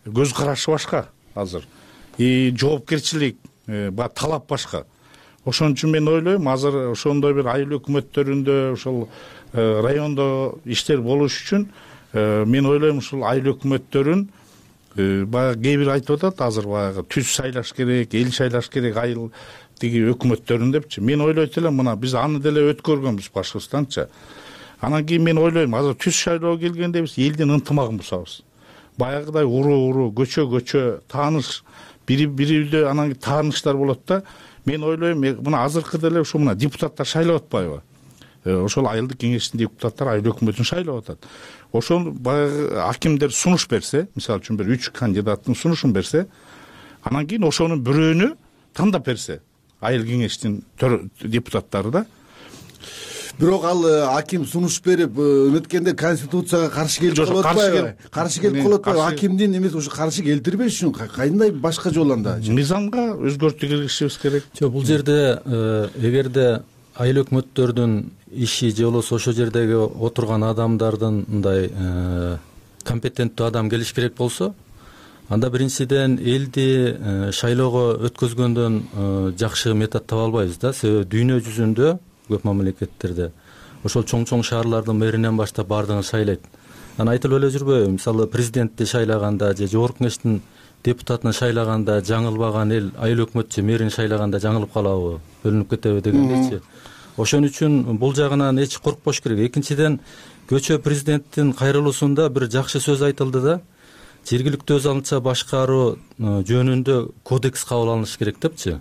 көз карашы башка азыр. И жоопкерчилик, баягы талап башка. Ошон үчүн мен ойлойм, азыр ошондой бир айыл өкмөттөрүндө, ошол райондо иштер болуш үчүн мен ойлойм ушул айыл өкмөттөрүн баягы кээ бир айтып атат, азыр баягы түз шайлаш керек, эл шайлаш керек айыл тиги өкмөттөрүн депчи. Мен ойлойт элем, мына биз аны деле өткөргөнбүз Башкыртстанча. Анан кийин мен ойлойм, азыр түз шайлоо келгенде биз элдин ынтымагын бузабыз. Баягыдай уруу-уруу, көчө-көчө тааныш, бири-бири үйдө анан тааныштар болот да. Мен ойлойм, мына азыркы деле ушу мына депутаттар шайлап атпайбы? Ошол айылдык кеңештин депутаттары айыл өкмөтүн шайлап атат. Ошол баягы акимдер сунуш берсе, мисалы үчүн бир үч кандидаттын сунушун берсе, анан кийин ошонун бирөөнү тандап берсе, айыл кеңештин депутаттары да. Бирок ал аким сунуш берип өткөндө конституцияга каршы келип калып атпайбы? Каршы келип калып атпайбы? Акимдин эмес, ошо каршы келтирбеш үчүн кандай башка жол анда? Мыйзамга өзгөртүү киргизишибиз керек. Жок, бул жерде эгерде айыл өкмөттөрдүн иши же болбосо ошол жердеги отурган адамдардын мындай компетенттүү адам келиш керек болсо, анда биринчиден элди шайлоого өткөзгөндөн жакшы метод таба албайбыз да. Себеби дүйнө жүзүндө көп мамлекеттерде ошол чоң-чоң шаарлардын мэринен баштап баардыгын шайлайт. Анан айтылып эле жүрбөйбү? Мисалы президентти шайлаганда же жогорку кеңештин депутатын шайлаганда жаңылбаган эл айыл өкмөт же мэрин шайлаганда жаңылып калабы, бөлүнүп кетеби дегендейчи. Ошон үчүн бул жагынан эч коркпош керек. Экинчиден, көчө президенттин кайрылуусунда бир жакшы сөз айтылды да, жергиликтүү өз алдынча башкаруу жөнүндө кодекс кабыл алыныш керек депчи.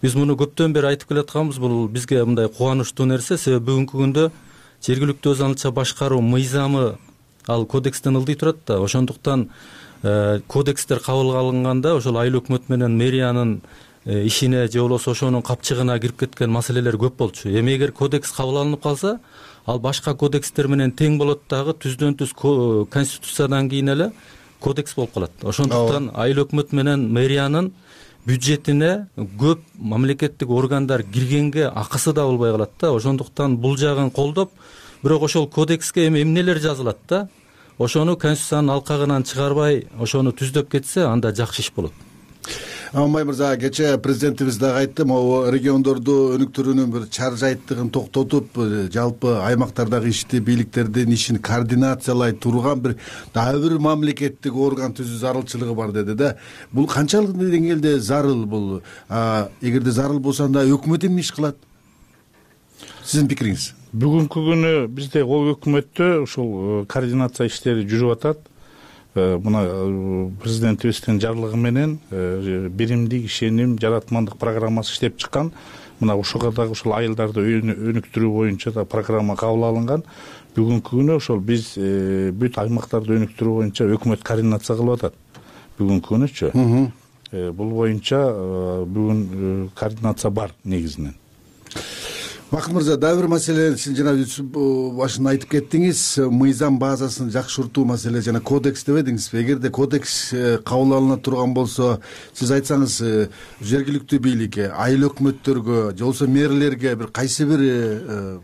Биз муну көптөн бери айтып келатканбыз. Бул бизге мындай кубанычтуу нерсе, себеби бүгүнкү күндө жергиликтүү өз алдынча башкаруу мыйзамы ал кодекстен ылдый турат да. Ошондуктан кодекстер кабыл алынганда ошол айыл өкмөт менен мэриянын ишине же болбосо ошонун капчыгына кирип кеткен маселелер көп болчу. Эми эгер кодекс кабыл алынып калса, ал башка кодекстер менен тең болот дагы, түздөн түз конституциядан кийин эле кодекс болуп калат. Ошондуктан айыл өкмөт менен мэриянын бюджетине көп мамлекеттик органдар киргенге акысы да болбой калат да. Ошондуктан бул жагын колдоп, бирок ошол кодекске эми эмнелер жазылат да, ошону конституциянын алкагынан чыгарбай ошону түздөп кетсе, анда жакшы иш болот. Аманбай мырза, кечээ президентибиз дагы айтты, могу региондорду өнүктүрүүнүн бир чар жайттыгын токтотуп, жалпы аймактардагы ишти, бийликтердин ишин координациялай турган бир дагы бир мамлекеттик орган түзүү зарылчылыгы бар деди да. Бул канчалык деңгээлде зарыл бул? Эгерде зарыл болсо, анда өкмөт эмне иш кылат? Сиздин пикириңиз? Бүгүнкү күнү бизде өкмөттө ушул координация иштери жүрүп атат. Мына президентибиздин жарлыгы менен биримдик ишеним жаратмандык программасы иштеп чыккан. Мына ошого дагы ушул айылдарды өнүктүрүү боюнча да программа кабыл алынган. Бүгүнкү күнү ошол биз бүт аймактарды өнүктүрүү боюнча өкмөт координация кылып атат. Бүгүнкү күнүчү. Бул боюнча бүгүн координация бар негизинен. Бакыт мырза, дагы бир маселе, сиз жана башында айтып кеттиңиз, мыйзам базасын жакшыртуу маселе жана кодекс дебедиңизби? Эгерде кодекс кабыл алына турган болсо, сиз айтсаңыз, жергиликтүү бийликке, айыл өкмөттөргө же болбосо мэрлерге бир кайсы бир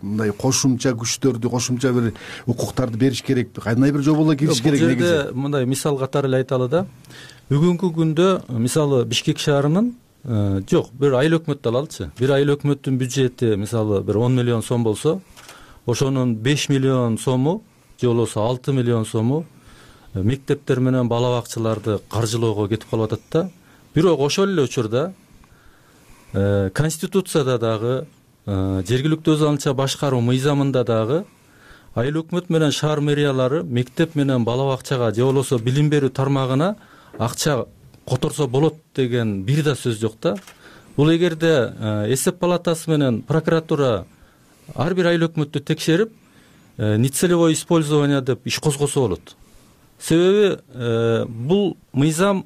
мындай кошумча күчтөрдү, кошумча бир укуктарды бериш керекпи? Кандай бир жоболор кириш керек негизи? Бул жерде мындай мисал катары эле айталы да. Бүгүнкү күндө мисалы Бишкек шаарынын жок, бир айыл өкмөттү алалычы. Бир айыл өкмөттүн бюджети мисалы бир он миллион сом болсо, ошонун беш миллион сому же болбосо алты миллион сому мектептер менен бала бакчаларды каржылоого кетип калып атат да. Бирок ошол эле учурда конституцияда дагы, жергиликтүү өз алдынча башкаруу мыйзамында дагы айыл өкмөт менен шаар мэриялары мектеп менен бала бакчага же болбосо билим берүү тармагына акча которсо болот деген бир да сөз жок да. Бул эгерде эсеп палатасы менен прокуратура ар бир айыл өкмөттү текшерип, нецелевое использование деп иш козгосо болот. Себеби бул мыйзам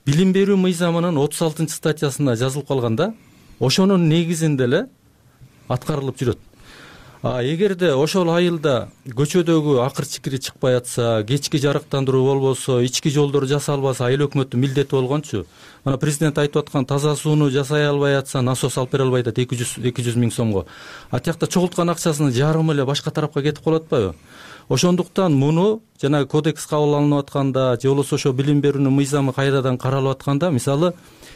билим берүү мыйзамынын отуз алтынчы статьясында жазылып калган да. Ошонун негизинде эле аткарылып жүрөт. А эгерде ошол айылда көчөдөгү акыр чикири чыкпай атса, кечки жарыктандыруу болбосо, ички жолдор жасалбаса, айыл өкмөттүн милдети болгончу. Мына президент айтып аткан таза сууну жасай албай атса, насос алып бере албайт эки жүз миң сомго. А тиякта чогулткан акчасынын жарымы эле башка тарапка кетип калып атпайбы? Ошондуктан муну жана кодекс кабыл алынып атканда, же болбосо ошо билим берүүнүн мыйзамы кайрадан каралып атканда, мисалы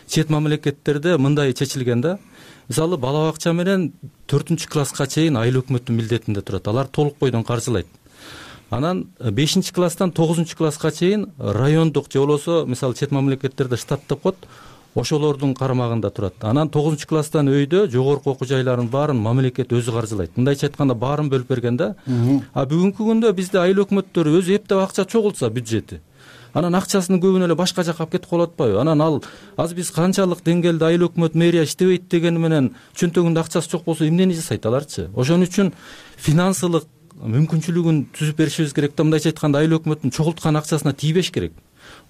чет мамлекеттерде мындай чечилген да. Мисалы бала бакча менен төртүнчү класска чейин айыл өкмөттүн милдетинде турат. Алар толук бойдон каржылайт. Анан бешинчи класстан тогузунчу класска чейин райондук же болбосо мисалы чет мамлекеттерде штат деп коет, ошолордун карамагында турат. Анан тогузунчу класстан өйдө жогорку окуу жайларын баарын мамлекет өзү каржылайт. Мындайча айтканда баарын бөлүп берген да. А бүгүнкү күндө бизде айыл өкмөттөрү өзү эптеп акча чогултса бюджети, анан акчасынын көбүн эле башка жакка алып кетип калып атпайбы? Анан ал аз биз канчалык деңгээлде айыл өкмөт мэрия иштебейт дегени менен чөнтөгүндө акчасы жок болсо эмнени жасайт аларчы? Ошон үчүн финансылык мүмкүнчүлүгүн түзүп беришибиз керек да. Мындайча айтканда айыл өкмөттүн чогулткан акчасына тийбеш керек.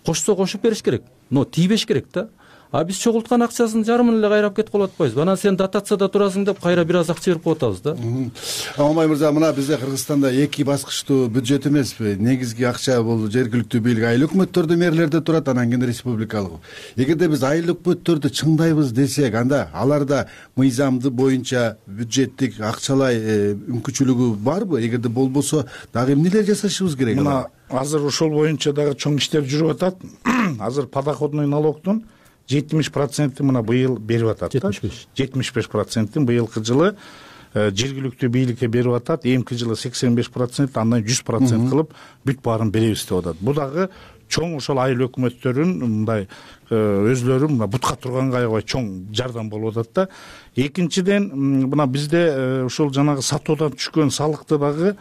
Кошсо кошуп бериш керек, но тийбеш керек да. А биз чогулткан акчасынын жарымын эле кайрап кетип калып атпайбызбы? Анан сен дотацияда турасың деп кайра бир аз акча берип коюп атабыз да. Аманбай мырза, мына бизде Кыргызстанда эки баскычтуу бюджет эмеспи? Негизги акча бул жергиликтүү бийлик айыл өкмөттөрдө мэрлерде турат, анан кийин республикалык. Эгерде биз айыл өкмөттөрдү чыңдайбыз десек, анда аларда мыйзамды боюнча бюджеттик акчалай мүмкүнчүлүгү барбы? Эгерде болбосо, дагы эмнелер жасашыбыз керек? Мына азыр ошол боюнча дагы чоң иштер жүрүп атат. Азыр подоходный налогдун жетимиш процентин мына быйыл берип атат. жетимиш беш процентин быйылкы жылы жергиликтүү бийликке берип атат. Эмки жылы сексен беш процент, андан жүз процент кылып бүт баарын беребиз деп атат. Бул дагы чоң ошол айыл өкмөттөрүн мындай өзлөрү мына бутка турганга аябай чоң жардам болуп атат да. Экинчиден мына бизде ошол жанагы сатуудан түшкөн салыкты дагы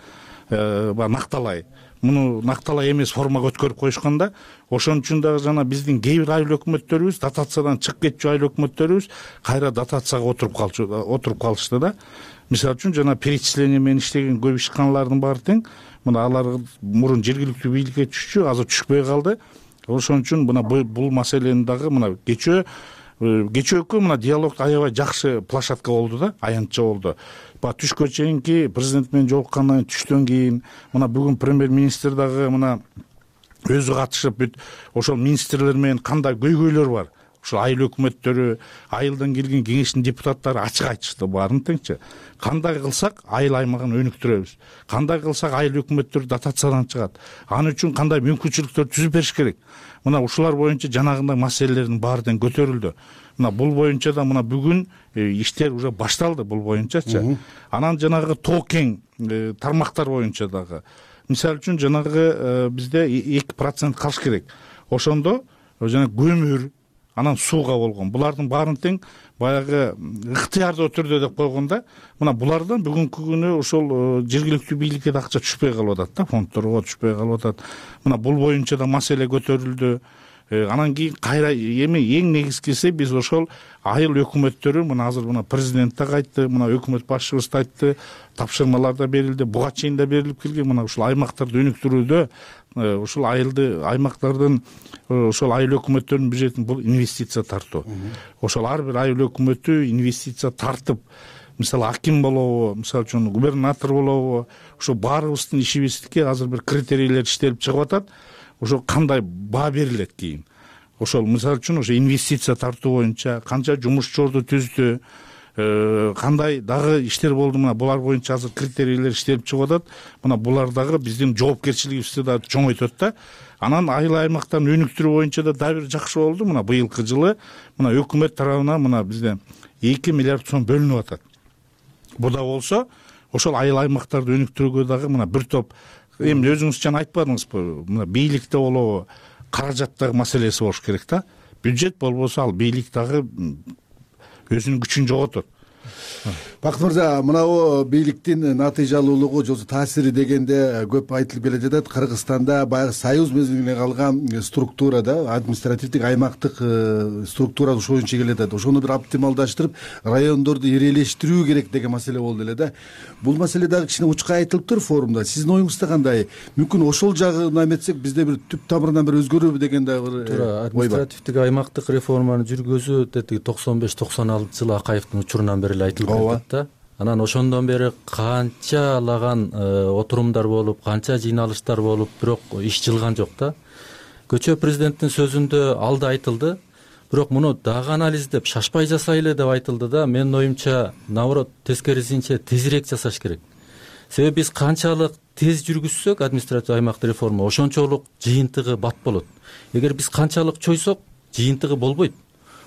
баягы накталай, муну накталай эмес формага өткөрүп коюшкан да. Ошон үчүн дагы жана биздин кээ бир айыл өкмөттөрүбүз, дотациядан чыгып кетчү айыл өкмөттөрүбүз кайра дотацияга отуруп калчу отуруп калышты да. Мисалы үчүн жана перечисление менен иштеген көп ишканалардын баары тең. Мына алар мурун жергиликтүү бийликке түшчү, азыр түшпөй калды. Ошон үчүн мына бул маселени дагы мына кечөө кечөөкү мына диалог аябай жакшы площадка болду да, аянтча болду. Баягы түшкө чейинки президент менен жолуккандан түштөн кийин мына бүгүн премьер-министр дагы мына өзү катышып бүт ошол министрлер менен кандай көйгөйлөр бар, ошол айыл өкмөттөрү, айылдан келген кеңештин депутаттары ачык айтышты баарын теңчи. Кандай кылсак айыл аймагын өнүктүрөбүз, кандай кылсак айыл өкмөттөр дотациядан чыгат, аны үчүн кандай мүмкүнчүлүктөр түзүп бериш керек. Мына ушулар боюнча жанагындай маселелердин баары тең көтөрүлдү. Мына бул боюнча да мына бүгүн иштер уже башталды бул боюнчачы. Анан жанагы тоо кең тармактар боюнча дагы мисалы үчүн жанагы бизде эки процент калыш керек. Ошондо жана көмүр, анан сууга болгон булардын баарын тең баягы ыктыярдуу түрдө деп койгондо мына булардан бүгүнкү күнү ошол жергиликтүү бийликке да акча түшпөй калып атат да, фондторго түшпөй калып атат. Мына бул боюнча да маселе көтөрүлдү. Анан кийин кайра эми эң негизгиси биз ошол айыл өкмөттөрү мына азыр мына президент да айтты, мына өкмөт башчыбыз да айтты, тапшырмалар да берилди, буга чейин да берилип келген. Мына ушул аймактарды өнүктүрүүдө ушул айылды аймактардын ошол айыл өкмөттөрүнүн бюджетин бул инвестиция тартуу. Ошол ар бир айыл өкмөтү инвестиция тартып, мисалы аким болобу, мисалы үчүн губернатор болобу, ошо баарыбыздын ишибизге азыр бир критерийлер иштелип чыгып атат. Ошо кандай баа берилет кийин. Ошол мисалы үчүн ошо инвестиция тартуу боюнча канча жумушчорду түздү, кандай дагы иштер болду, мына булар боюнча азыр критерийлер иштелип чыгып атат. Мына булар дагы биздин жоопкерчилигибизди да чоңойтот да. Анан айыл аймактарын өнүктүрүү боюнча да дагы бир жакшы болду. Мына быйылкы жылы мына өкмөт тарабынан мына бизде эки миллиард сом бөлүнүп атат. Бу да болсо ошол айыл аймактарды өнүктүрүүгө дагы мына бир топ эми өзүңүз жана айтпадыңызбы, мына бийликте болобу, каражаттагы маселеси болуш керек да. Бюджет болбосо ал бийлик дагы өзүнүн күчүн жоготот. Бакыт мырза, мынау бийликтин натыйжалуулугу же таасири дегенде көп айтылып келе жатат. Кыргызстанда баягы союз мезгилинен калган структурада, административдик аймактык структура ошол боюнча келе жатат. Ошону бир оптималдаштырып, райондорду ирелештирүү керек деген маселе болду эле да. Бул маселе дагы кичине учкай айтылыптыр форумда. Сиздин оюңузда кандай? Мүмкүн ошол жагына эметсек бизде бир түп тамырынан бир өзгөрүүбү деген дагы бир ой бар. Административдик аймактык реформаны жүргүзүү деди токсон беш токсон алтынчы жылы Акаевдин учурунан бери эле айтылып жатат да. Анан ошондон бери канчалаган отурумдар болуп, канча жыйналыштар болуп, бирок иш жылган жок да. Көчө президенттин сөзүндө ал да айтылды. Бирок муну дагы анализдеп, шашпай жасайлы деп айтылды да. Менин оюмча, наоборот, тескерисинче тезирээк жасаш керек. Себеби биз канчалык тез жүргүзсөк административдик аймактык реформа, ошончолук жыйынтыгы бат болот. Эгер биз канчалык чойсок, жыйынтыгы болбойт.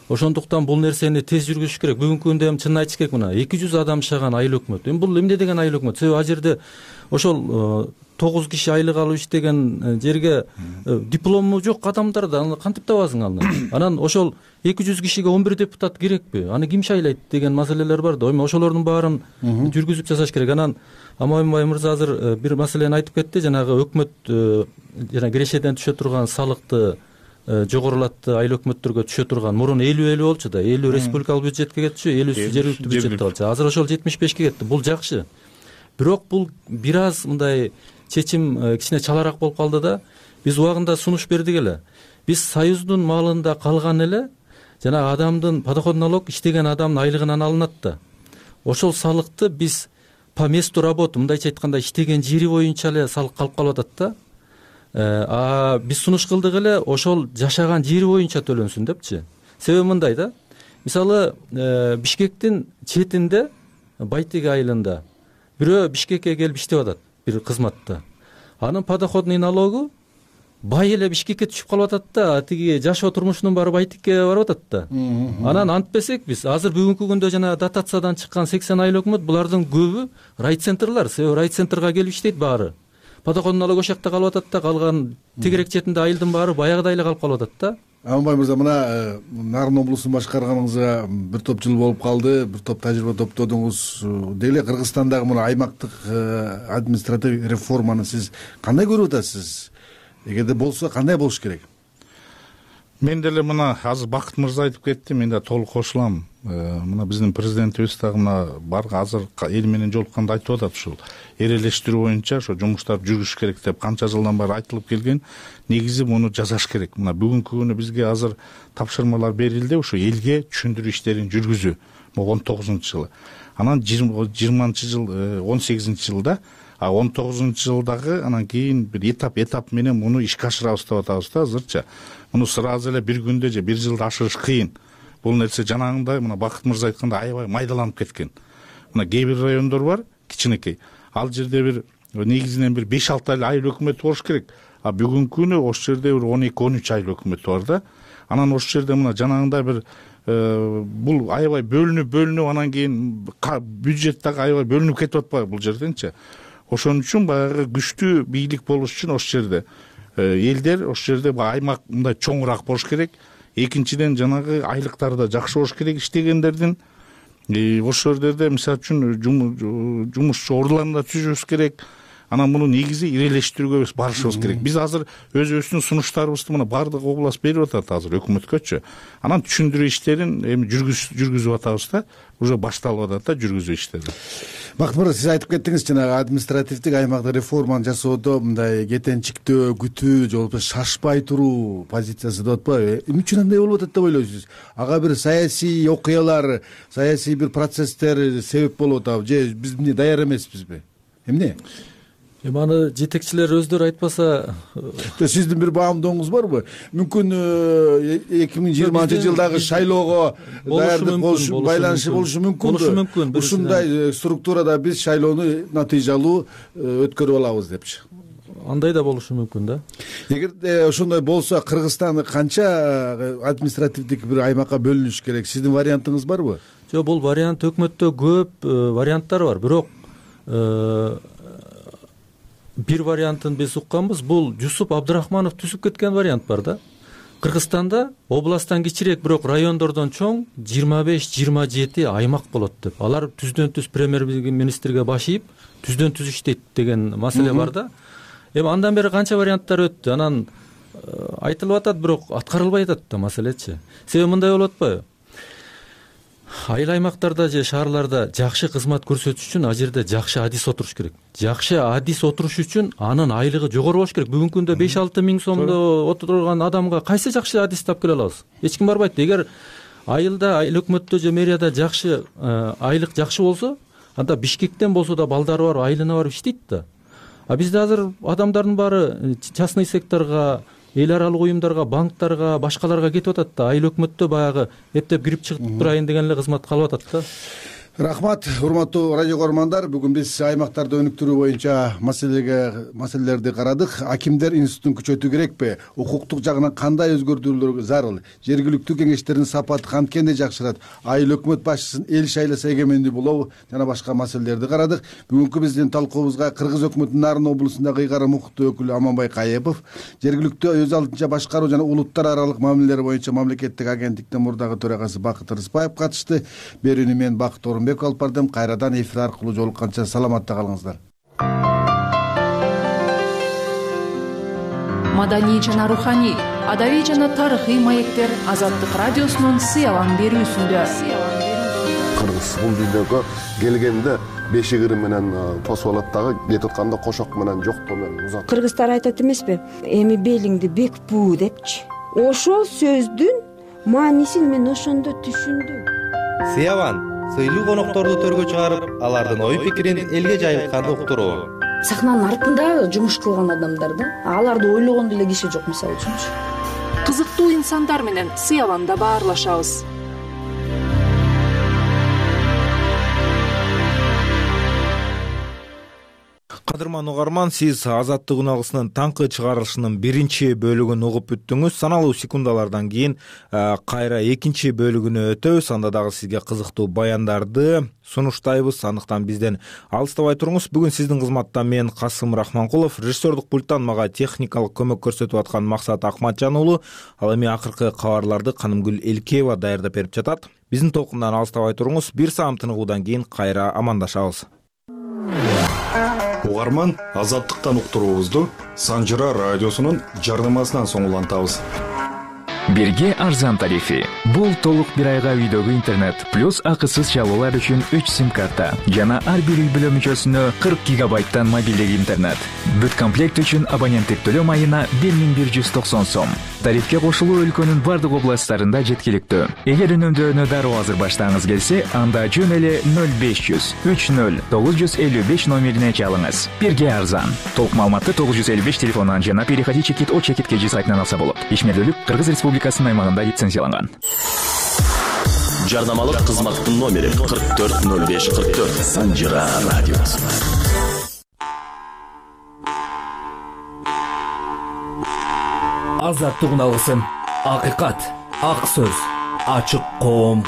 Ошондуктан бул нерсени тез жүргүзүш керек. Бүгүнкү күндө эми чынын айтыш керек, мына эки жүз адам жашаган айыл өкмөт. Эми бул эмне деген айыл өкмөт? Себеби ал жерде ошол тогуз киши айлык алып иштеген жерге диплому жок адамдар да аны кантип табасың аны? Анан ошол эки жүз кишиге он бир депутат керекпи? Аны ким шайлайт деген маселелер бар да. Эми ошолордун баарын жүргүзүп жасаш керек. Анан Аманбай мырза азыр бир маселени айтып кетти. Жанагы өкмөт жана кирешеден түшө турган салыкты жогорулатты, айыл өкмөттөргө түшө турган. Мурун элүү элүү болчу да, элүү республикалык бюджетке кетчү, элүүсү жергиликтүү бюджетке болчу. Азыр ошол жетимиш бешке кетти. Бул жакшы. Бирок бул бир аз мындай чечим кичине чалараак болуп калды да. Биз убагында сунуш бердик эле. Биз союздун малында калган эле жана адамдын подоход налог иштеген адамдын айлыгынан алынат да. Ошол салыкты биз по месту работы, мындайча айтканда, иштеген жери боюнча эле салык калып калып атат да. А биз сунуш кылдык эле ошол жашаган жери боюнча төлөнсүн депчи. Себеби мындай да. Мисалы, Бишкектин четинде, Байтеги айылында бирөө Бишкекке келип иштеп атат, бир кызматта. Анын подоходный налогу бай эле Бишкекке түшүп калып атат да, тиги жашоо турмушунун баары Байтекке барып атат да. Анан антпесек биз азыр бүгүнкү күндө жана дотациядан чыккан сексен айыл өкмөт, булардын көбү райцентрлар, себеби райцентрга келип иштейт баары. подоходный налог ошол жакта калып атат да, калган тегерек четинде айылдын баары баягыдай эле калып калып атат да. Аманбай мырза, мына Нарын облусун башкарганыңызга бир топ жыл болуп калды, бир топ тажрыйба топтодуңуз. Деле Кыргызстандагы мына аймактык административдик реформаны сиз кандай көрүп атасыз? Эгерде болсо кандай болуш керек? Мен деле мына азыр Бакыт мырза айтып кетти, мен да толук кошулам. Мына биздин президентибиз дагы мына бар азыр эл менен жолукканда айтып атат, ушул эрелештирүү боюнча ошо жумуштарды жүргүзүш керек деп канча жылдан бери айтылып келген. Негизи муну жасаш керек. Мына бүгүнкү күнү бизге азыр тапшырмалар берилди, ошо элге түшүндүрүү иштерин жүргүзүү. Могу он тогузунчу жылы. Анан жыйырманчы жыл, он сегизинчи жылда, а он тогузунчу жылдагы анан кийин бир этап этап менен муну ишке ашырабыз деп атабыз да азырча. Муну сразу эле бир күндө же бир жылда ашырыш кыйын. Бул нерсе жанагындай мына Бакыт мырза айткандай аябай майдаланып кеткен. Мына кээ бир райондор бар, кичинекей. Ал жерде бир негизинен бир беш алты айыл өкмөт болуш керек. А бүгүнкү күнү ошол жерде бир он эки он үч айыл өкмөт бар да. Анан ошол жерде мына жанагындай бир бул аябай бөлүнүп бөлүнүп анан кийин бюджет дагы аябай бөлүнүп кетип атпайбы бул жерденчи. Ошон үчүн баягы күчтүү бийлик болуш үчүн ошол жерде элдер ошол жерде аймак мындай чоңураак болуш керек. Экинчиден жанагы айлыктары да жакшы болуш керек иштегендердин. Ошол жерде мисалы үчүн жумушчу ордуларын да түзүшүбүз керек. Анан муну негизи ирелештирүүгө биз барышыбыз керек. Биз азыр өзүбүздүн сунуштарыбызды мына бардык област берип атат азыр өкмөткөчү. Анан түшүндүрүү иштерин эми жүргүзүп атабыз да, уже башталып атат да жүргүзүү иштери. Бакыт мырза, сиз айтып кеттиңиз, жанагы административдик аймакта реформаны жасоодо мындай кетенчиктөө, күтүү, же болбосо шашпай туруу позициясы деп атпайбы? Эмне үчүн андай болуп атат деп ойлойсуз? Ага бир саясий окуялар, саясий бир процесстер себеп болуп атабы, же биз эмне даяр эмеспизби? Эмне? Эми аны жетекчилер өздөрү айтпаса, сиздин бир баамдооңуз барбы? Мүмкүн эки миң жыйырманчы жылдагы шайлоого даярдык болуш байланышы болушу мүмкүн. Ушундай структурада биз шайлоону натыйжалуу өткөрүп алабыз депчи. Андай да болушу мүмкүн да. Эгерде ошондой болсо, Кыргызстан канча административдик бир аймакка бөлүнүш керек? Сиздин вариантыңыз барбы? Жок, бул вариант өкмөттө көп варианттар бар, бирок бир вариантын биз укканбыз. Бул Жусуп Абдырахманов түзүп кеткен вариант бар да. Кыргызстанда областтан кичирээк, бирок райондордон чоң жыйырма беш жыйырма жети аймак болот деп. Алар түздөн түз премьер-министрге баш ийип, түздөн түз иштейт деген маселе бар да. Эми андан бери канча варианттар өттү. Анан айтылып атат, бирок аткарылбай атат да маселечи. Себеби мындай болуп атпайбы? Айыл аймактарда же шаарларда жакшы кызмат көрсөтүш үчүн ал жерде жакшы адис отуруш керек. Жакшы адис отуруш үчүн анын айлыгы жогору болуш керек. Бүгүнкү күндө беш алты миң сомдо отурган адамга кайсы жакшы адис таап келе алабыз? Эч ким барбайт. Эгер айылда, айыл өкмөттө же мэрияда жакшы айлык жакшы болсо, анда Бишкектен болсо да балдары бар, айылына барып иштейт да. А бизде азыр адамдардын баары частный секторго, эл аралык уюмдарга, банктарга, башкаларга кетип атат да. Айыл өкмөттө баягы эптеп кирип чыгып турайын деген эле кызмат калып атат да. Рахмат, урматтуу радио көрөрмандар. Бүгүн биз аймактарды өнүктүрүү боюнча маселеге маселелерди карадык. Акимдер институтун күчөтүү керекпи? Укуктук жагынан кандай өзгөртүүлөр зарыл? Жергиликтүү кеңештердин сапаты канткенде жакшырат? Айыл өкмөт башчысын эл шайласа эгемендүү болобу? Жана башка маселелерди карадык. Бүгүнкү биздин талкуубузга Кыргыз өкмөтүнүн Нарын облусундагы ыйгарым укуктуу өкүлү Аманбай Каепов, жергиликтүү өз алдынча башкаруу жана улуттар аралык мамилелер боюнча мамлекеттик агенттиктин мурдагы төрагасы Бакыт Рыспаев катышты. Берүүнү мен Бакыт Орунбек алып бардым. Кайрадан эфир аркылуу жолукканча саламатта калыңыздар. Маданий жана руханий, адабий жана тарыхый маектер Азаттык радиосунун сыялан берүүсүндө. Кыргыз бул дүйнөгө келгенде бешигири менен тосуп алат дагы, кетип атканда кошок менен жоктоо менен узат. Кыргыздар айтат эмеспи? Эми белиңди бек буу депчи. Ошол сөздүн маанисин мен ошондо түшүндүм. Сыялан сыйлуу конокторду төргө чыгарып, алардын ой пикирин элге жайылтканды уктуруу. Сахнанын артында жумуш кылган адамдар да, аларды ойлогон деле киши жок, мисалы үчүнчү. Кызыктуу инсандар менен сыяланда баарлашабыз. кадырман угарман, сиз Азаттык үналгысынын таңкы чыгарылышынын биринчи бөлүгүн угуп бүттүңүз. Саналуу секундалардан кийин кайра экинчи бөлүгүнө өтөбүз. Анда дагы сизге кызыктуу баяндарды сунуштайбыз. Андыктан бизден алыстабай туруңуз. Бүгүн сиздин кызматта мен Касым Рахманкулов, режиссердук пульттан мага техникалык көмөк көрсөтүп аткан Максат Акматжан уулу. Ал эми акыркы кабарларды Канымгүл Элкеева даярдап берип жатат. Биздин толкундан алыстабай туруңуз. Бир саам тыныгуудан кийин кайра амандашабыз. Угарман, Азаттыктан уктуруубузду Санжыра радиосунун жардамасынан соң улантабыз. Бирге арзан тарифи. Бул толук бир айга үйдөгү интернет плюс акысыз чалуулар үчүн үч сим карта жана ар бир үй бүлө мүчөсүнө кырк гигабайттан мобилдик интернет. Бүт комплект үчүн абоненттик төлөм айына бир миң бир жүз токсон сом. Тарифке кошулуу өлкөнүн бардык областтарында жеткиликтүү. Эгер үнөмдөөнү дароо азыр баштагыңыз келсе, анда жөн эле ноль беш жүз үч ноль тогуз жүз элүү беш номерине чалыңыз. Бирге арзан. Толук маалыматты тогуз жүз элүү беш телефонунан жана переходи чекит о чекит кж сайтынан алса болот. Ишмердүүлүк Кыргыз Республикасынын аймагында лицензияланган. Жардамалык кызматтын номери кырк төрт ноль беш кырк төрт. Санжыра радиосу. Азаттык үналгысын. Акыйкат, ак сөз, ачык коом.